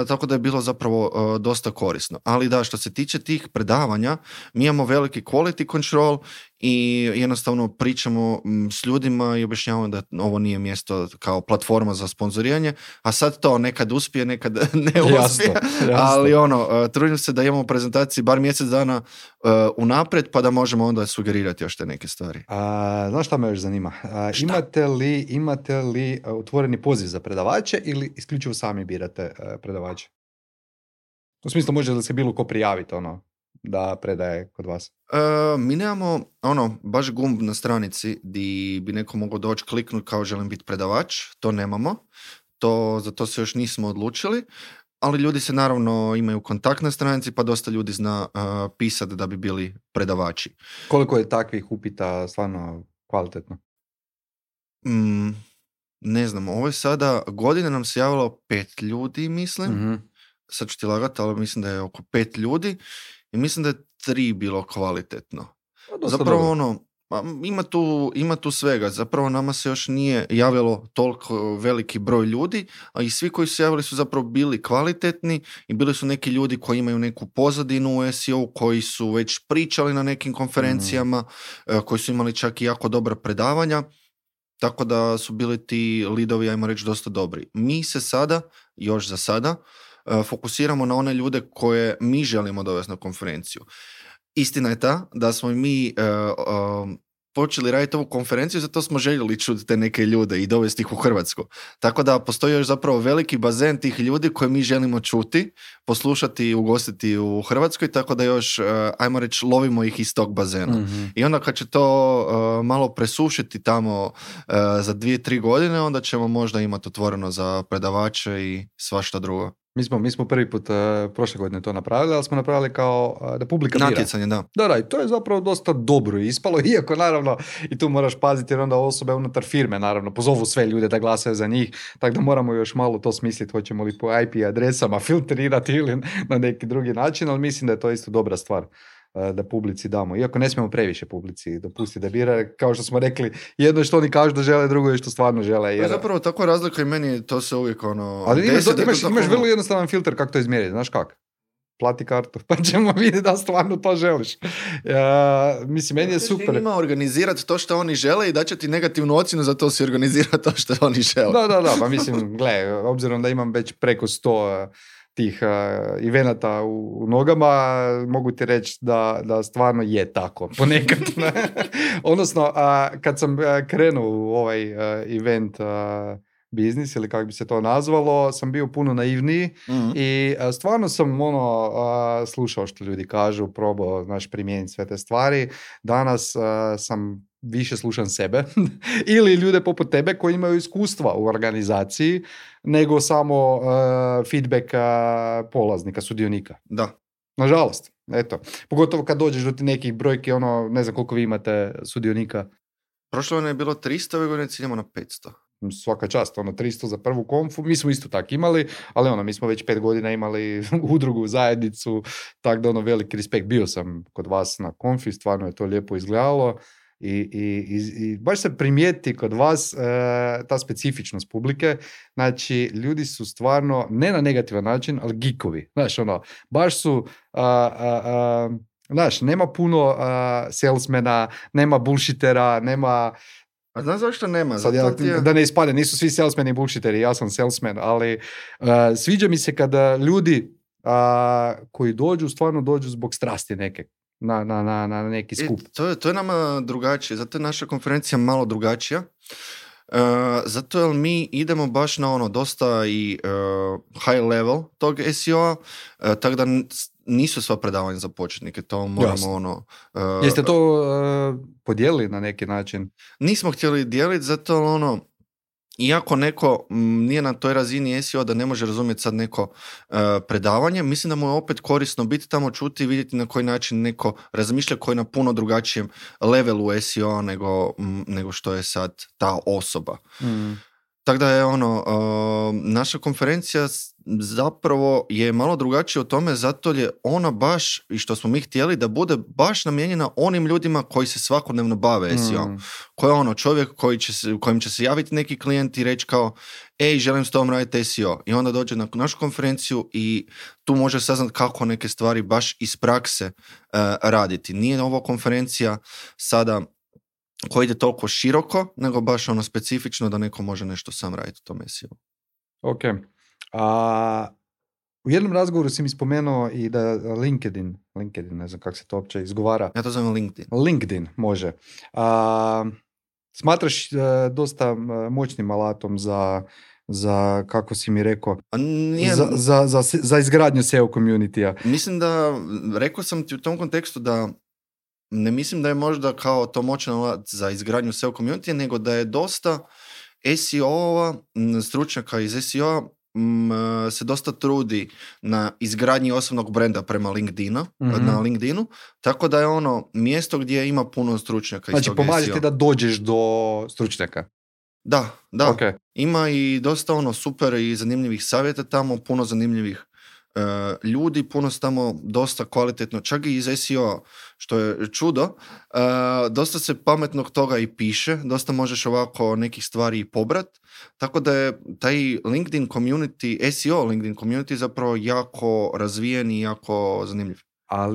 tako da je bilo zapravo dosta korisno. Ali da, što se tiče tih predavanja, mi imamo veliki quality control i jednostavno pričamo s ljudima i objašnjavamo da ovo nije mjesto kao platforma za sponzoriranje, a sad to nekad uspije, nekad ne uspije, ali trudim se da imamo prezentaciji bar mjesec dana unaprijed, pa da možemo onda sugerirati još te neke stvari. Znaš šta me još zanima? Imate li otvoreni poziv za predavače ili isključivo sami birate predavače? U smislu, može li se bilo ko prijaviti da predaje kod vas? Mi nemamo baš gumb na stranici di bi neko mogao doći kliknuti kao želim biti predavač, to nemamo, za to se još nismo odlučili, ali ljudi se naravno imaju kontakt na stranici, pa dosta ljudi zna pisati da bi bili predavači. Koliko je takvih upita stvarno kvalitetno? Ne znam, ovo je sada, godine nam se javilo 5 ljudi, mislim. Mm-hmm. Sad ću ti lagati, ali mislim da je oko 5 ljudi i mislim da je 3 bilo kvalitetno. Zapravo ima tu svega. Zapravo nama se još nije javilo toliko veliki broj ljudi, a i svi koji su javili su zapravo bili kvalitetni i bili su neki ljudi koji imaju neku pozadinu u SEO, koji su već pričali na nekim konferencijama, koji su imali čak i jako dobra predavanja. Tako da su bili ti lidovi, ajmo reći, dosta dobri. Mi se sada, još za sada, fokusiramo na one ljude koje mi želimo dovesti na konferenciju. Istina je ta da smo mi počeli raditi ovu konferenciju, zato smo željeli čuti te neke ljude i dovesti ih u Hrvatsku. Tako da postoji još zapravo veliki bazen tih ljudi koje mi želimo čuti, poslušati i ugostiti u Hrvatskoj, tako da još, ajmo reći, lovimo ih iz tog bazena. Mm-hmm. I onda kad će to malo presušiti tamo za 2-3 godine, onda ćemo možda imati otvoreno za predavače i svašta drugo. Mi smo prvi put prošle godine to napravili, ali smo napravili kao da publika bira. Natjecanje, da. Da, i to je zapravo dosta dobro ispalo, iako naravno i tu moraš paziti jer onda osobe unutar firme naravno pozovu sve ljude da glasaju za njih, tako da moramo još malo to smisliti, hoćemo li po IP adresama filtrirati ili na neki drugi način, ali mislim da je to isto dobra stvar da publici damo. Iako ne smijemo previše publici dopustiti da bira, kao što smo rekli, jedno je što oni kažu da žele, drugo je što stvarno žele. Jer... Zapravo tako razlika i meni to se uvijek Ali imaš vrlo jednostavan filter kako to izmjeriti, znaš kako? Plati kartu, pa ćemo vidjeti da stvarno to želiš. Mislim, meni je super. Ima organizirati to što oni žele i da će ti negativnu ocjenu za to si organizirati to što oni žele. Da, pa mislim, gle, obzirom da imam već preko 100 tih evenata u nogama, mogu ti reći da stvarno je tako, ponekad. Odnosno, kad sam krenuo u ovaj event biznis, ili kako bi se to nazvalo, sam bio puno naivniji i stvarno sam slušao što ljudi kažu, probao, primijeniti sve te stvari. Danas sam više slušam sebe ili ljude poput tebe koji imaju iskustva u organizaciji nego samo feedback polaznika, sudionika. Da. Nažalost, eto. Pogotovo kad dođeš do nekih brojki, ne znam koliko vi imate sudionika. Prošle godine je bilo 300, ove godine ciljamo na 500. Svaka čast, 300 za prvu konfu, mi smo isto tako imali, ali mi smo već 5 godina imali udrugu, zajednicu, tako da veliki respekt. Bio sam kod vas na konfi, stvarno je to lijepo izgledalo i baš se primijeti kod vas ta specifičnost publike, znači ljudi su stvarno, ne na negativan način, ali geekovi, baš su... nema puno salesmena, nema bullshitera, nema... A znaš zašto nema? Sad da ne ispade, nisu svi salesmeni i bullshiteri, ja sam salesman, ali sviđa mi se kada ljudi koji dođu, stvarno dođu zbog strasti neke. Na neki skup. To je nama drugačije, zato je naša konferencija malo drugačija. Zato jer mi idemo baš na dosta i high level tog SEO-a, tako da nisu sva predavanja za početnike, to moramo Jeste to podijelili na neki način? Nismo htjeli dijeliti, zato iako neko nije na toj razini SEO da ne može razumjeti sad neko predavanje, mislim da mu je opet korisno biti tamo, čuti i vidjeti na koji način neko razmišlja, koji je na puno drugačijem levelu SEO nego što je sad ta osoba. Tako da je naša konferencija zapravo je malo drugačija u tome, zato je ona baš, i što smo mi htjeli, da bude baš namijenjena onim ljudima koji se svakodnevno bave SEO. Ko je čovjek kojem će se javiti neki klijent i reći kao, ej, želim s tobom raditi SEO. I onda dođe na našu konferenciju i tu može saznati kako neke stvari baš iz prakse raditi. Nije ovo konferencija sada koji ide toliko široko, nego baš specifično da neko može nešto sam raditi u tom SEO. Ok. U jednom razgovoru si mi spomenuo i da LinkedIn, ne znam kako se to uopće izgovara. Ja to zovem LinkedIn. LinkedIn, može. Smatraš dosta moćnim alatom za kako si mi rekao, za izgradnju SEO community-a. Mislim da, rekao sam ti u tom kontekstu da ne mislim da je možda kao to moćan alat za izgradnju SEO community, nego da je dosta SEO-ova, stručnjaka iz SEO-a se dosta trudi na izgradnji osobnog brenda prema na LinkedInu, tako da je mjesto gdje ima puno stručnjaka iz tog SEO. Znači, pomaže ti da dođeš do stručnjaka? Da. Okay. Ima i dosta super i zanimljivih savjeta tamo, puno zanimljivih ljudi, puno su tamo dosta kvalitetno, čak i iz SEO, što je čudo, dosta se pametnog toga i piše, dosta možeš ovako nekih stvari i pobrat, tako da je taj LinkedIn community, SEO LinkedIn community zapravo jako razvijen i jako zanimljiv. A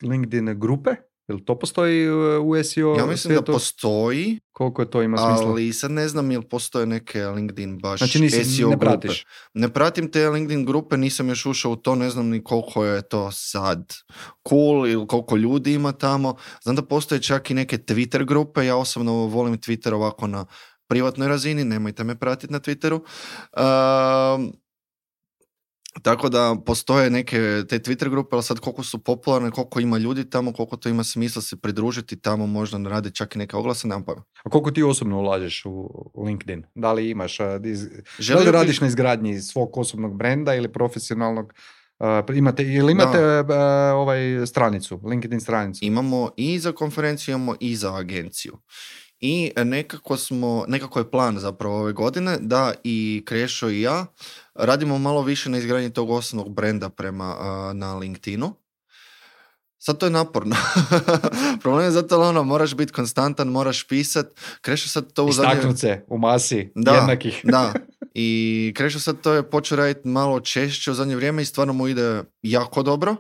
LinkedIn grupe? Jel to postoji u SEO? Ja mislim da postoji. Koliko je to ima smisla? Ali sad ne znam jel postoje neke LinkedIn baš znači, SEO ne grupe. pratiš. Ne pratim te LinkedIn grupe, nisam još ušao u to, ne znam ni koliko je to sad cool ili koliko ljudi ima tamo. Znam da postoje čak i neke Twitter grupe, ja osobno volim Twitter ovako na privatnoj razini, nemojte me pratiti na Twitteru. Tako da postoje neke te Twitter grupe, ali sad koliko su popularne, koliko ima ljudi tamo, koliko to ima smisla se pridružiti tamo, možda radi čak i neke oglase, nemam pojma. A koliko ti osobno ulažeš u LinkedIn? Da li imaš, da li radiš na izgradnji svog osobnog brenda ili profesionalnog? Imate stranicu, LinkedIn stranicu? Imamo i za konferenciju, imamo i za agenciju. I nekako je plan zapravo ove godine da i Krešo i ja radimo malo više na izgradnji tog osobnog brenda na LinkedInu. Sad to je naporno. Problem je zato moraš biti konstantan, moraš pisat. Krešo sad to istaknut se u masi jednakih. Da. I Krešo sad to je počeo raditi malo češće u zadnje vrijeme i stvarno mu ide jako dobro.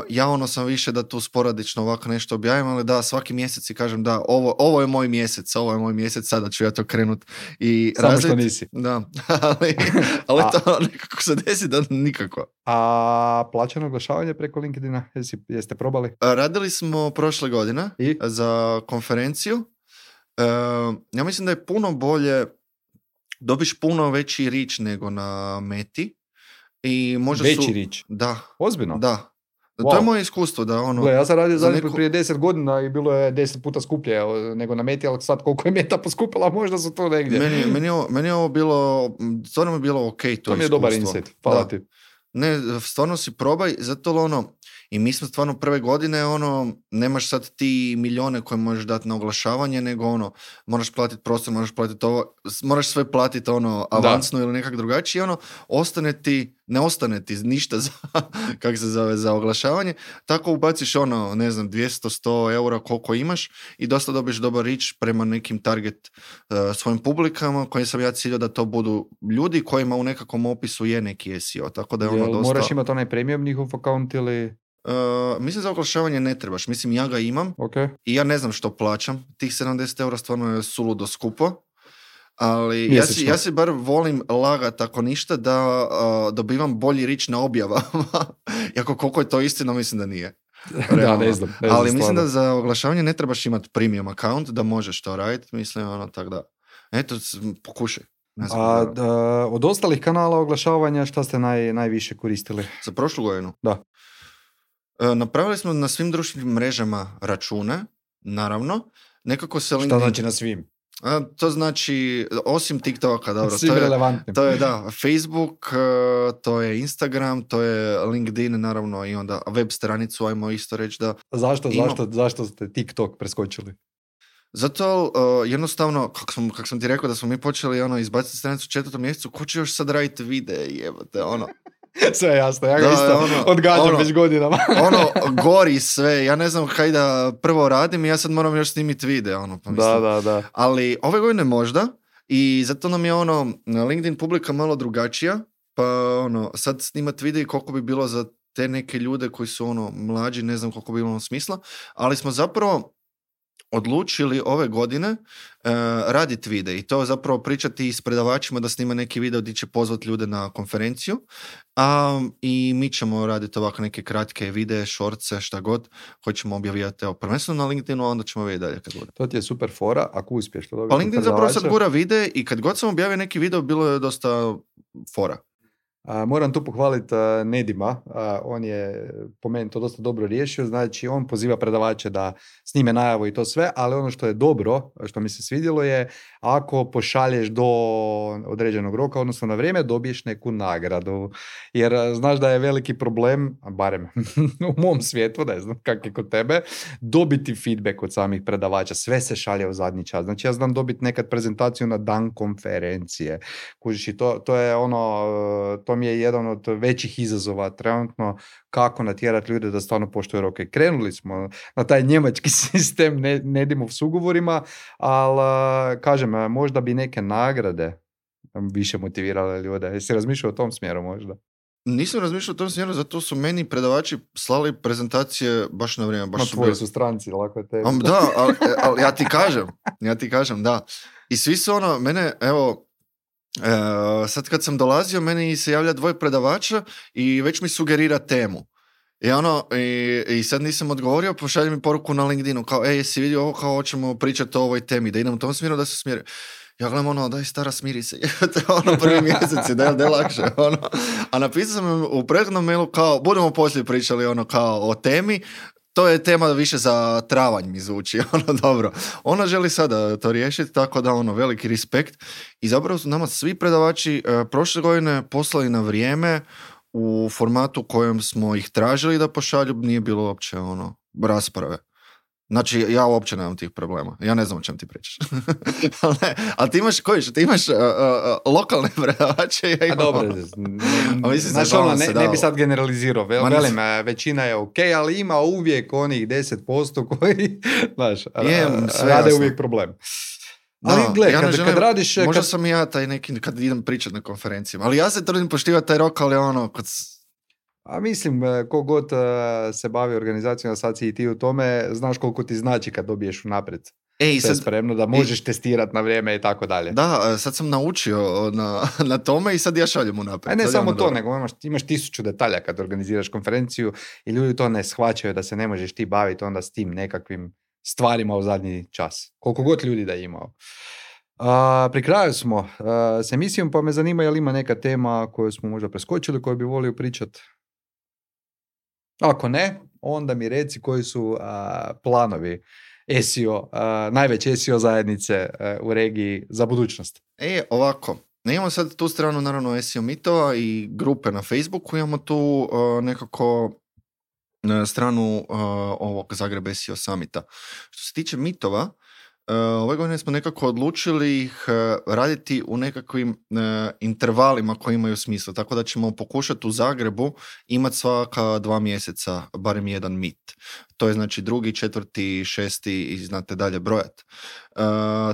Ja sam više da tu sporadično ovako nešto objavim, ali da, svaki mjesec i kažem da, ovo je moj mjesec, sada ću ja to krenut i samo razvit. Što nisi. Da, ali to nekako se desi da nikako. A plaćano oglašavanje preko LinkedIna, jeste probali? Radili smo prošle godine za konferenciju. Ja mislim da je puno bolje, dobiš puno veći reach nego na Meti. I možda veći reach? Da. Ozbiljno? Da. Wow. To je moje iskustvo. Da, Gle, ja sam radio prije 10 godina i bilo je 10 puta skuplje nego na Meti, ali sad koliko je Meta poskupila, možda su to negdje. Meni je ovo bilo, stvarno mi je bilo ok to iskustvo. To mi je dobar insight, hvala ti. Ne, stvarno si probaj, zato i mi smo stvarno prve godine, nemaš sad ti milijone koje možeš dati na oglašavanje, nego moraš platiti prostor, moraš platiti ovo, moraš sve platiti avansno ili nekak drugačije, ne ostane ti ništa za, kak se zove, za oglašavanje, tako ubaciš 200-100 eura koliko imaš i dosta dobiješ dobar reach prema nekim target svojim publikama, kojim sam ja ciljao da to budu ljudi kojima u nekakvom opisu je neki SEO, tako da je dosta... Moraš imati onaj premium njihov account ili... Mislim za oglašavanje ne trebaš, mislim ja ga imam i ja ne znam što plaćam, tih 70 eura stvarno je suludo skupo, ali ja si bar volim lagat ako ništa da dobivam bolji reach na objavama, iako koliko je to istina mislim da nije. Da, ne znam ali stvarno. Mislim da za oglašavanje ne trebaš imati premium account da možeš to raditi, mislim tako da, eto pokušaj. Od ostalih kanala oglašavanja šta ste najviše koristili? Za prošlu godinu? Da. Napravili smo na svim društvenim mrežama račune, naravno. Nekako se LinkedIn... Šta znači na svim? To znači, osim TikToka, dobro. Svim relevantnim. To je, da, Facebook, to je Instagram, to je LinkedIn, naravno, i onda web stranicu, ajmo isto reći da... Zašto ste TikTok preskočili? Zato jednostavno, kako sam ti rekao da smo mi počeli izbaciti stranicu u 4. mjesecu, ko će još sad raditi videe, jebate, Sve je jasno, ja ga isto odgađam već godinama. Gori sve, ja ne znam kaj da prvo radim i ja sad moram još snimiti video, pa mislim. Da. Ali ove godine možda i zato nam je LinkedIn publika malo drugačija, pa sad snimati video koliko bi bilo za te neke ljude koji su mlađi, ne znam koliko bi bilo smisla, ali smo zapravo odlučili ove godine raditi video i to zapravo pričati s predavačima da snima neki video gdje će pozvati ljude na konferenciju i mi ćemo raditi ovako neke kratke videe, shortse, šta god koji ćemo objavljati prvenstveno na LinkedInu, a onda ćemo vidjeti dalje kad bude. To ti je super fora, ako uspješ to dobiti. Pa LinkedIn zapravo sad gura videe i kad god sam objavio neki video bilo je dosta fora. Moram tu pohvaliti Nedima, on je po meni to dosta dobro riješio, znači on poziva predavače da snime najavu i to sve, ali ono što je dobro, što mi se svidjelo je ako pošalješ do određenog roka, odnosno na vrijeme, dobiješ neku nagradu, jer znaš da je veliki problem, barem u mom svijetu, ne znam kak je kod tebe, dobiti feedback od samih predavača, sve se šalje u zadnji čas, znači ja znam dobiti nekad prezentaciju na dan konferencije, kužiš i to je to mi je jedan od većih izazova trenutno kako natjerati ljude da stvarno poštuju roke. Krenuli smo na taj njemački sistem, ne idemo s ugovorima, ali kažem, možda bi neke nagrade više motivirale ljude. Jesi razmišljao o tom smjeru možda? Nisam razmišljao o tom smjeru, zato su meni predavači slali prezentacije baš na vrijeme. Na tvoji su stranci, lako je tebi. Da, ali ja ti kažem, da. I svi su mene, evo, sad kad sam dolazio, meni se javlja 2 predavača i već mi sugerira temu. I sad nisam odgovorio, pošalje mi poruku na LinkedInu, kao, jesi vidio ovo, kao hoćemo pričati o ovoj temi, da idem u tom smjeru, da se smjeri. Ja gledam, daj stara, smiri se, prvi mjeseci, da je lakše, A napisao sam u prethodnom mailu, kao, budemo poslije pričali, kao, o temi, to je tema više za travanj mi zvuči, dobro. Ona želi sada to riješiti, tako da veliki respekt. I zapravo su nama svi predavači prošle godine poslali na vrijeme u formatu kojem smo ih tražili da pošalju, nije bilo uopće rasprave. Znači, ja uopće nemam tih problema. Ja ne znam o čem ti pričaš. Ali ti imaš, ti imaš lokalne predavače. Ja imam, dobro. Znači, ne bi sad generalizirao. Velim, većina je ok, ali ima uvijek onih 10% koji, znaš, rade jasno. Uvijek problem. Ali gle, kad radiš... Možda sam ja taj neki, kad idem pričati na konferencijama. Ali ja se trudim poštivati taj rok, ali A mislim, kogod se bavi organizacijom, sad si i ti u tome, znaš koliko ti znači kad dobiješ unaprijed sve spremno, da možeš testirati na vrijeme i tako dalje. Da, sad sam naučio na tome i sad ja šaljem unaprijed. A ne samo to, nego imaš 1000 detalja kad organiziraš konferenciju i ljudi to ne shvaćaju da se ne možeš ti baviti onda s tim nekakvim stvarima u zadnji čas. Koliko god ljudi da je imao. Pri kraju smo s emisijom, pa me zanima je li ima neka tema koju smo možda preskočili, koju bi volio pričati. Ako ne, onda mi reci koji su planovi SEO, najveće SEO zajednice u regiji za budućnost. Ovako, imamo sad tu stranu naravno SEO mitova i grupe na Facebooku, imamo tu nekako stranu ovog Zagreb SEO Summita. Što se tiče mitova, ove godine smo nekako odlučili ih raditi u nekakvim intervalima koji imaju smisla, tako da ćemo pokušati u Zagrebu imati svaka 2 mjeseca barem jedan mit. To je znači 2., 4., 6. i znate dalje brojat.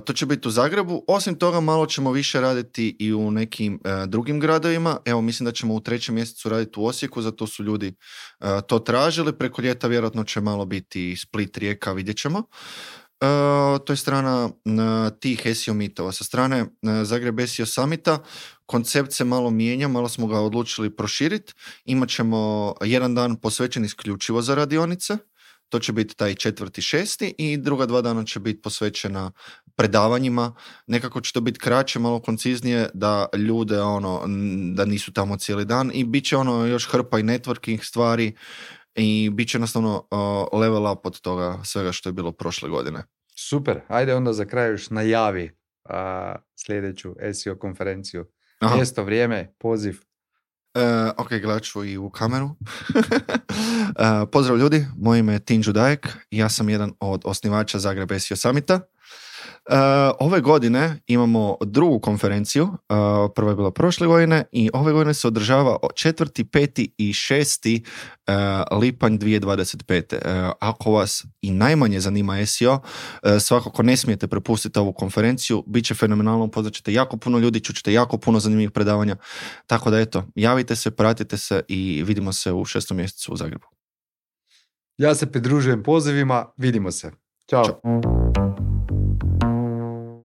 To će biti u Zagrebu. Osim toga malo ćemo više raditi i u nekim drugim gradovima. Evo, mislim da ćemo u 3. mjesecu raditi u Osijeku, zato su ljudi to tražili. Preko ljeta vjerojatno će malo biti Split, Rijeka, vidjet ćemo. To je strana tih SEO mitova. Sa strane Zagreb SEO Summita koncept se malo mijenja, malo smo ga odlučili proširiti. Imaćemo jedan dan posvećen isključivo za radionice. To će biti taj 4., 6. i druga 2 dana će biti posvećena predavanjima. Nekako će to biti kraće, malo konciznije, da ljude da nisu tamo cijeli dan i bit će još hrpa i networking stvari i bit će jednostavno level up od toga svega što je bilo prošle godine. Super, ajde onda za kraj još najavi sljedeću SEO konferenciju. Mjesto, vrijeme, poziv. Ok, gledat ću i u kameru. Pozdrav ljudi, moje ime je Tinđu Dajek, ja sam jedan od osnivača Zagreb SEO Summita. Ove godine imamo drugu konferenciju, prva je bila prošle godine i ove godine se održava 4., 5. i 6. lipanj 2025. Ako vas i najmanje zanima SEO, svakako ne smijete prepustiti ovu konferenciju, bit će fenomenalno, upoznat ćete jako puno ljudi, čućete jako puno zanimljivih predavanja, tako da eto, javite se, pratite se i vidimo se u 6. mjesecu u Zagrebu. Ja se pridružujem pozivima, vidimo se. Ćao.